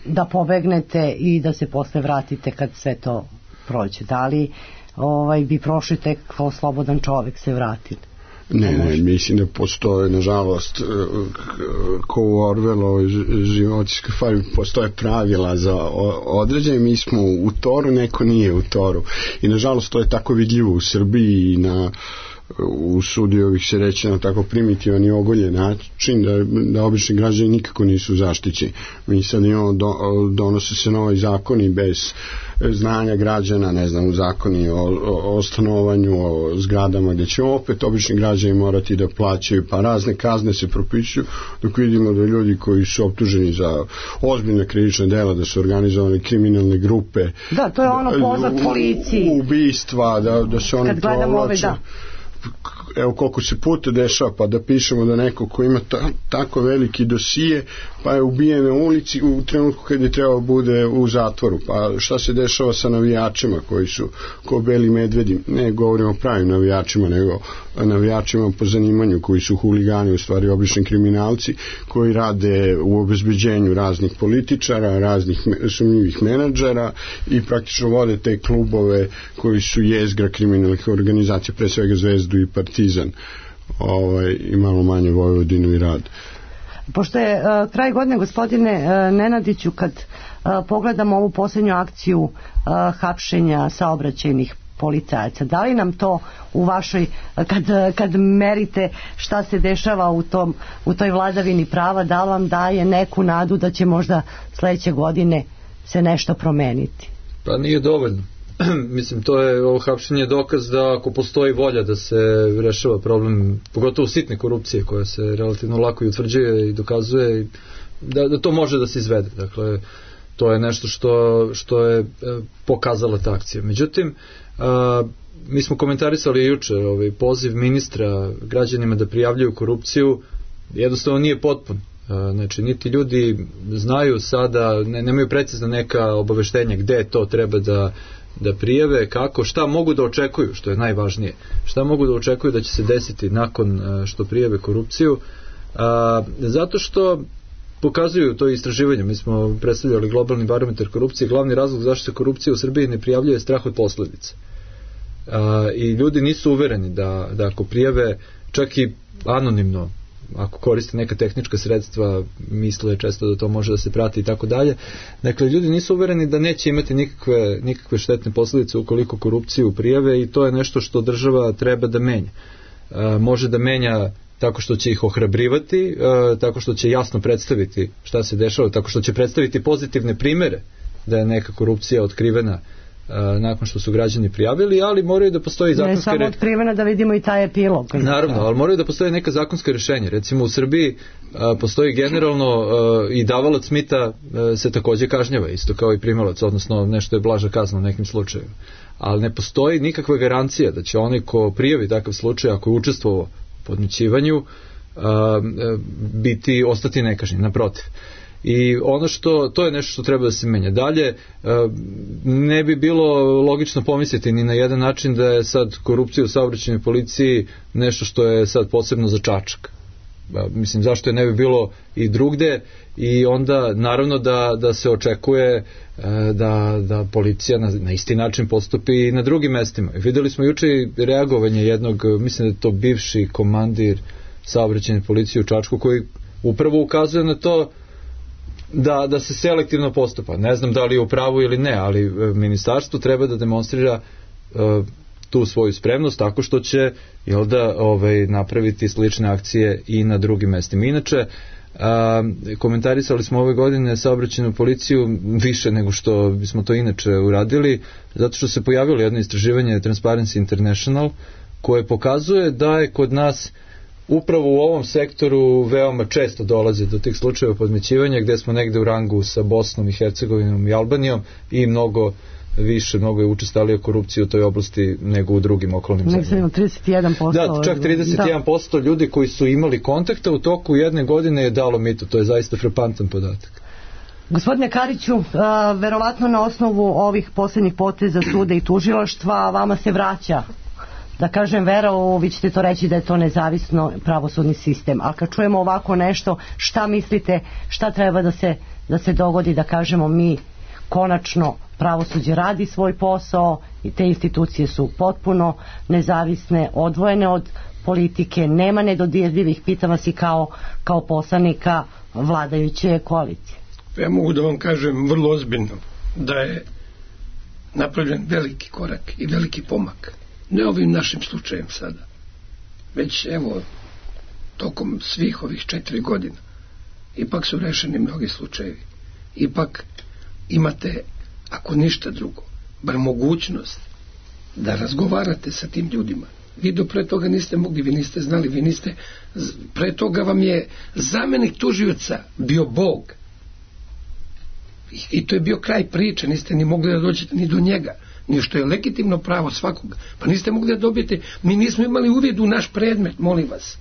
da pobegnete i da se posle vratite kad sve to prođe? Da li ovaj, bi prošli tek kao slobodan čovek se vratili? Ne, ne, mislim da postoje, nažalost, ko u Orwellovoj životinjskoj farmi postoje pravila za određenje. Mi smo u toru, neko nije u toru. I nažalost to je tako vidljivo u Srbiji i na u sudi ovih se reći na tako primitivan i ogoljen način da, da obični građani nikako nisu zaštićeni. Mi sad imamo, do, donose se novi zakoni bez znanja građana, ne znam, zakoni o, o, o stanovanju, o zgradama gde će opet obični građani morati da plaćaju, pa razne kazne se propisuju, dok vidimo da ljudi koji su optuženi za ozbiljna krivična dela, da su organizovane kriminalne grupe, da, to je ono pozvat policiji, ubistva, da, da se oni provlače. Evo koliko se puta dešava, pa da pišemo da neko ko ima ta, tako veliki dosije pa je ubijen na ulici u trenutku kad je trebao bude u zatvoru. Pa šta se dešava sa navijačima koji su ko beli medvedi? Ne govorimo o pravim navijačima, nego navijačima po zanimanju koji su huligani, u stvari obični kriminalci koji rade u obezbeđenju raznih političara, raznih sumnjivih menadžera i praktično vode te klubove koji su jezgra kriminalnih organizacija, pre svega Zvezdu i Partizan, ovaj, i malo manje Vojvodinu i Rad. Pošto je uh, kraj godine, gospodine uh, Nenadiću, kad uh, pogledamo ovu posljednju akciju uh, hapšenja saobraćajnih policajaca, da li nam to u vašoj, kad, kad merite šta se dešava u, tom, u toj vladavini prava, da li vam daje neku nadu da će možda sledeće godine se nešto promeniti? Pa nije dovoljno. Mislim, to je, ovo hapšenje dokaz da ako postoji volja da se rešava problem, pogotovo sitne korupcije koja se relativno lako i utvrđuje i dokazuje, da, da to može da se izvede. Dakle, to je nešto što, što je pokazala ta akcija. Međutim, a, mi smo komentarisali juče ovaj poziv ministra građanima da prijavljuju korupciju, jednostavno nije potpun. Znači, niti ljudi znaju sada, ne, nemaju precizno neka obaveštenja gde to treba da da prijave, kako, šta mogu da očekuju, što je najvažnije, šta mogu da očekuju da će se desiti nakon što prijave korupciju, a, zato što pokazuju to istraživanje. Mi smo predstavljali globalni barometar korupcije, glavni razlog zašto se korupcija u Srbiji ne prijavljuje je strah od posledica. i ljudi nisu uvereni da, da ako prijave čak i anonimno, ako koriste neka tehnička sredstva, misle često da to može da se prati i tako dalje. Dakle, ljudi nisu uvereni da neće imati nikakve, nikakve štetne posljedice ukoliko korupciju prijave i to je nešto što država treba da menja. E, može da menja tako što će ih ohrabrivati, e, tako što će jasno predstaviti šta se dešava, tako što će predstaviti pozitivne primere da je neka korupcija otkrivena nakon što su građani prijavili, ali moraju da postoji zakonske... Ne samo otkrivena, da vidimo i taj epilog. Naravno, ali moraju da postoje neka zakonska rješenja. Recimo u Srbiji a, postoji generalno a, i davalac mita a, se takođe kažnjava, isto kao i primalac, odnosno nešto je blaža kazna u nekim slučajevima. Ali ne postoji nikakva garancija da će onaj ko prijavi takav slučaj, ako je učestvovao u podmićivanju, a, a, biti, ostati nekažnjen, naprotiv. I ono što, to je nešto što treba da se menja. Dalje, ne bi bilo logično pomisliti ni na jedan način da je sad korupcija u saobraćajnoj policiji nešto što je sad posebno za Čačak. Mislim, zašto je ne bi bilo i drugde, i onda naravno da, da se očekuje da, da policija na, na isti način postupi i na drugim mestima. Videli smo juče reagovanje jednog, mislim da je to bivši komandir saobraćajne policije u Čačku, koji upravo ukazuje na to Da, da se selektivno postupa. Ne znam da li je u pravu ili ne, ali ministarstvo treba da demonstrira uh, tu svoju spremnost tako što će, jel da, ovaj, napraviti slične akcije i na drugim mestima. Inače, uh, komentarisali smo ove godine saobraćajnu policiju više nego što bismo to inače uradili, zato što se pojavilo jedno istraživanje Transparency International koje pokazuje da je kod nas upravo u ovom sektoru veoma često dolaze do tih slučajeva podmićivanja, gde smo negde u rangu sa Bosnom i Hercegovinom i Albanijom, i mnogo više, mnogo je učestalija korupcija u toj oblasti nego u drugim okolnim zemljama. Nego trideset jedan posto. Da, čak trideset jedan posto da. Ljudi koji su imali kontakta u toku jedne godine je dalo mito. To je zaista frapantan podatak. Gospodine Kariću, a, verovatno na osnovu ovih posljednjih poteza suda i tužilaštva vama se vraća, da kažem, vera u, vi ćete to reći da je to nezavisno pravosudni sistem, ali kad čujemo ovako nešto, šta mislite, šta treba da se, da se dogodi, da kažemo mi konačno pravosuđe radi svoj posao i te institucije su potpuno nezavisne, odvojene od politike, nema nedodirljivih? Pitam vas i kao, kao poslanika vladajuće koalicije. Ja mogu da vam kažem vrlo ozbiljno da je napravljen veliki korak i veliki pomak. Ne ovim našim slučajem sada, već evo tokom svih ovih četiri godina ipak su rešeni mnogi slučajevi. Ipak imate, ako ništa drugo, bar mogućnost da razgovarate sa tim ljudima. Vi do pre toga niste mogli, vi niste znali, vi niste, pre toga vam je zamenik tužioca bio Bog. I, i to je bio kraj priče, niste ni mogli da dođete ni do njega. Ni što je legitimno pravo svakog. Pa niste mogli da dobijete, mi nismo imali uvid u naš predmet, molim vas.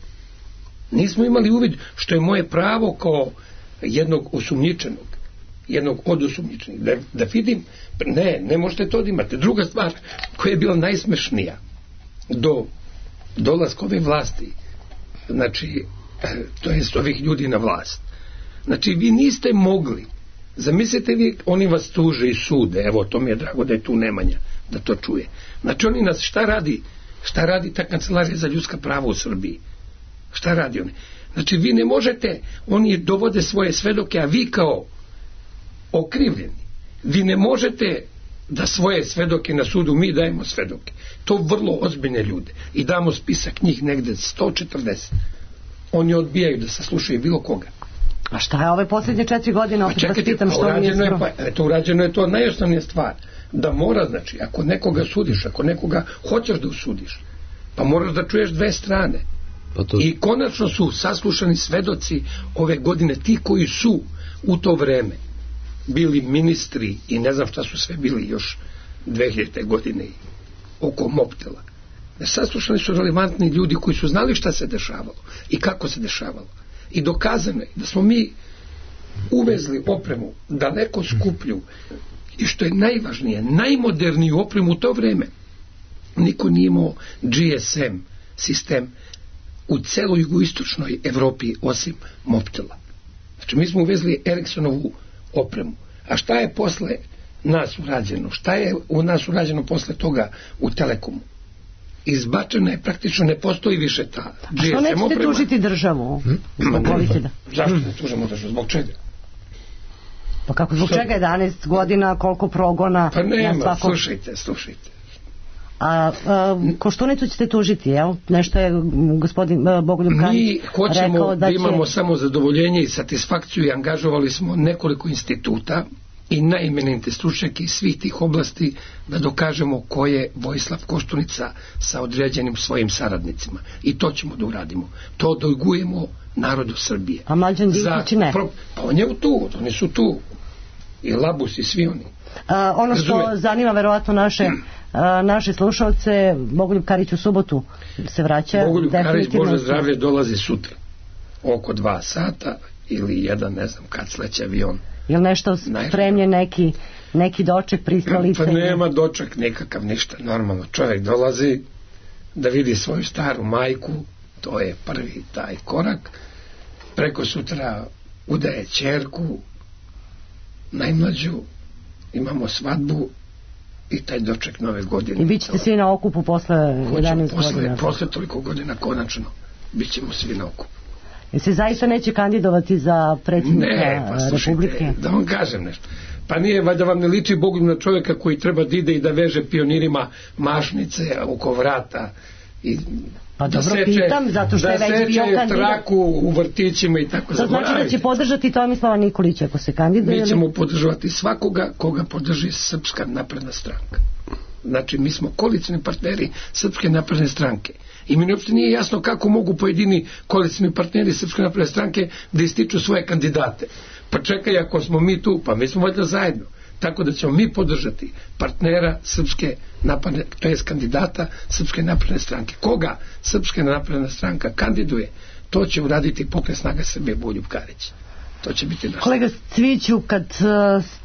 Nismo imali uvid, što je moje pravo kao jednog osumnjičenog, jednog od osumnjičenih, da, da vidim, ne, ne možete to da imate. Druga stvar koja je bila najsmešnija do dolaska ove vlasti, znači, to je ovih ljudi na vlast. Znači, vi niste mogli, zamislite vi, oni vas tuže i sude, evo, to mi je drago da je tu Nemanja, da to čuje. Znači, oni nas, šta radi, šta radi ta kancelarija za ljudska prava u Srbiji? Šta radi oni? Znači, vi ne možete, oni dovode svoje svedoke, a vi kao okrivljeni, vi ne možete da svoje svedoke na sudu, mi dajemo svedoke. To vrlo ozbiljne ljude. I damo spisak njih negde sto četrdeset. Oni odbijaju da saslušaju bilo koga. A šta je ove posljednje četiri godine? Pa čekajte, pa urađeno je, pa, eto, urađeno je to najosnovnija stvar. Da mora, znači, ako nekoga sudiš, ako nekoga hoćeš da usudiš, pa moraš da čuješ dve strane. Pa to... I konačno su saslušani svedoci ove godine, ti koji su u to vreme bili ministri i ne znam šta su sve bili još dve hiljadite godine oko Mobtela. Saslušani su relevantni ljudi koji su znali šta se dešavalo i kako se dešavalo. I dokazano je da smo mi uvezli opremu daleko skuplju i što je najvažnije, najmoderniju opremu u to vreme. Niko nije imao G S M sistem u celoj jugoistočnoj Evropi osim Mobtela. Znači mi smo uvezli Ericssonovu opremu. A šta je posle nas urađeno? Šta je u nas urađeno posle toga u Telekomu? izbačena je, praktično ne postoji više ta G S M. A što nećete oprema tužiti državu? Hmm? Da. Zašto ne tužimo državu? Zbog čega? Pa kako, zbog čega jedanaest godina, koliko progona? Pa nema, svakog... slušajte, slušajte. A, a Koštunicu ćete tužiti, jel? Nešto je gospodin Bogoljub Karić mi hoćemo rekao da, da imamo će... samo zadovoljenje i satisfakciju i angažovali smo nekoliko instituta i najimenite stručnjake iz svih tih oblasti da dokažemo ko je Vojislav Koštunica sa određenim svojim saradnicima. I to ćemo da uradimo. To dugujemo narodu Srbije. A Mlađan Dinkić ne? Pro... Pa on je tu, oni su tu. I Labus i svi oni. A, ono što Razume. zanima verovatno naše, a, naše slušalce, Bogoljub Karić u subotu se vraća. Bogoljub Karić, Bože zdravlje, dolazi sutra. Oko dva sata ili jedan, ne znam kad sleće avion. Ili nešto spremlje, neki, neki doček, pristalice? Pa nema doček nekakav, ništa. Normalno čovjek dolazi da vidi svoju staru majku, to je prvi taj korak. Preko sutra udaje ćerku, najmlađu, imamo svadbu i taj doček nove godine. I bit ćete svi na okupu posle jedanaest posle, godina? Posle toliko godina, konačno, bit ćemo svi na okupu. Jer se zaista neće kandidovati za predsjednika ne, pa, Republike? Da vam kažem nešto. Pa nije, valjda vam ne liči Bogu na čovjeka koji treba da ide i da veže pionirima mašnice oko vrata i pa da dobro, seče, pitam, zato što da je već bio kandidat. traku u vrtićima i tako. To znači da će podržati Tomislava Nikolića ako se kandiduje? Mi ćemo podržavati svakoga koga podrži Srpska napredna stranka. Znači mi smo koalicioni partneri Srpske napredne stranke. I mi uopšte nije jasno kako mogu pojedini koalicioni partneri Srpske napredne stranke da ističu svoje kandidate. Pa čekaj, ako smo mi tu, pa mi smo valjda zajedno. Tako da ćemo mi podržati partnera Srpske napredne, to je kandidata Srpske napredne stranke. Koga Srpska napredna stranka kandiduje, to će uraditi Pokret snaga Srbije Bogoljub Karić. To će biti naš. Kolega Cviću, kad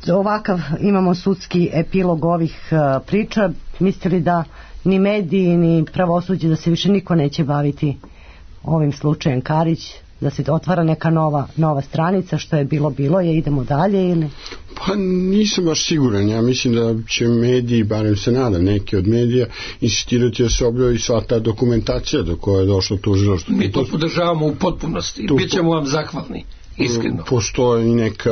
uh, ovakav imamo sudski epilog ovih uh, priča, mislite li da ni mediji, ni pravosuđe, da se više niko neće baviti ovim slučajem Karić, da se otvara neka nova, nova stranica, što je bilo, bilo je, idemo dalje ili? Pa nisam baš siguran, ja mislim da će mediji, barem se nadam, neki od medija, insistirati da se objavi sva ta dokumentacija do koje je došlo tužilaštvo. Mi to podržavamo u potpunosti i bit ćemo vam zahvalni. Iskreno. Postoji neka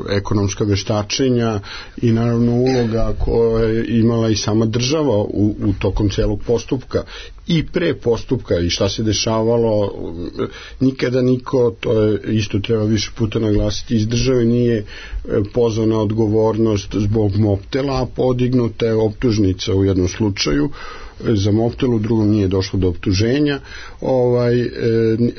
ekonomska veštačenja i naravno uloga koja je imala i sama država u, u tokom celog postupka i pre postupka i šta se dešavalo. Nikada niko, to je isto treba više puta naglasiti, iz države nije pozvao na odgovornost zbog Mobtela, a podignuta je optužnica u jednom slučaju za Mobtel, u drugom nije došlo do optuženja. Ovaj, e,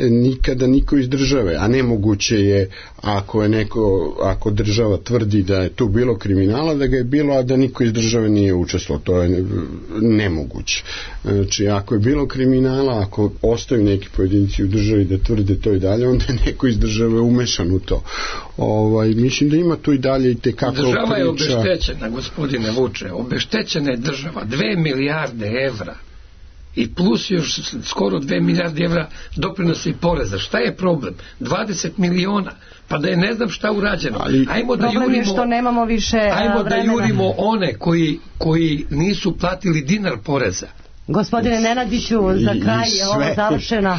nikada niko iz države, a nemoguće je ako je neko, ako država tvrdi da je tu bilo kriminala, da ga je bilo, a da niko iz države nije učestvovao, to je nemoguće. Znači, ako je bilo kriminala, ako ostaju neki pojedinci u državi da tvrde to i dalje, onda je neko iz države umešan u to. Ovaj, mislim da ima tu i dalje i tekako priča. Država je obeštećena, gospodine Vuče, obeštećena je država, dve milijarde evra i plus još skoro dve milijarde evra doprinosa i poreza. Šta je problem? dvadeset miliona. Pa da je ne znam šta urađeno. Ali, ajmo da problem jurimo, je što nemamo više ajmo vremena. da jurimo one koji, koji nisu platili dinar poreza. Gospodine Nenadiću, za kraj je ovo završena,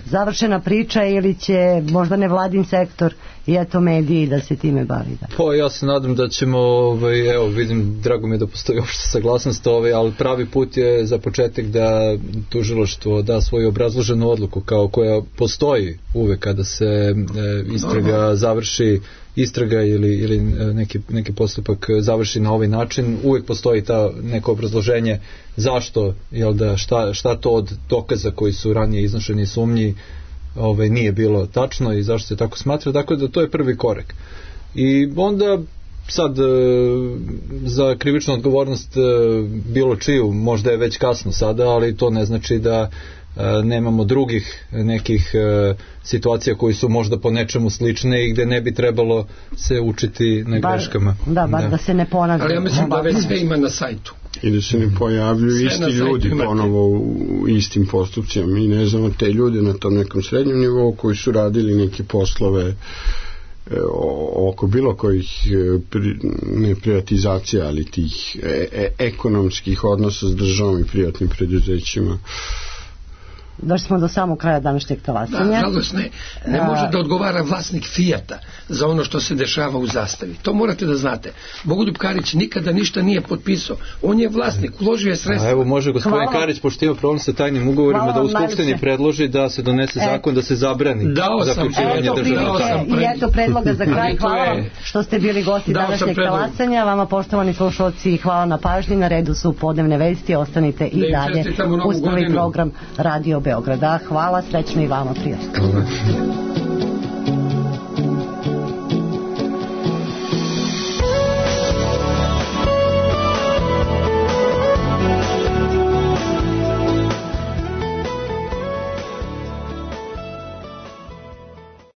završena priča ili će možda nevladin sektor i eto mediji da se time bavi? Da. Pa ja se nadam da ćemo, ovaj, evo vidim, drago mi je da postoji opšta saglasnost, ovaj, ali pravi put je za početak da tužilaštvo da svoju obrazloženu odluku kao koja postoji uvek kada se e, istraga Normal. završi istraga ili, ili neki, neki postupak završi na ovaj način, uvijek postoji ta neko obrazloženje zašto, jel da, šta, šta to od dokaza koji su ranije iznošeni sumnji ovaj, nije bilo tačno i zašto se tako smatra, tako da to je prvi korak. I onda sad za krivičnu odgovornost bilo čiju, možda je već kasno sada, ali to ne znači da nemamo drugih nekih situacija koji su možda po nečemu slične i gde ne bi trebalo se učiti na bar, greškama. Da, bar da, da se ne ponavlja. Ali ja mislim da već sve ima na sajtu. I da se ne pojavljuju sve isti ljudi ponovo u istim postupcima. Mi ne znamo te ljude na tom nekom srednjem nivou koji su radili neke poslove oko bilo kojih pri, ne privatizacija, ali tih e, e, ekonomskih odnosa s državom i privatnim preduzećima. Došli smo do samog kraja današnjeg talasanja. Da, žalost ne. Ne može da odgovara vlasnik Fijata za ono što se dešava u Zastavi. To morate da znate. Bogoljub Karić nikada ništa nije potpisao. On je vlasnik, uložio je sredstva. A evo može gospodin Hvala. Karić, pošto ima problem sa tajnim ugovorima, Hvala da u Skupštini najviše predloži da se donese zakon da se zabrani zaključivanje državnog. I eto predloga za kraj. Hvala vam što ste bili gosti današnjeg talasanja. Vama, poštovani slušalci, hvala na pažnji. Na redu su podnevne vesti. Ostanite i dalje uz novi program Radio Beograda. Hvala, srećno i vama, prijatno.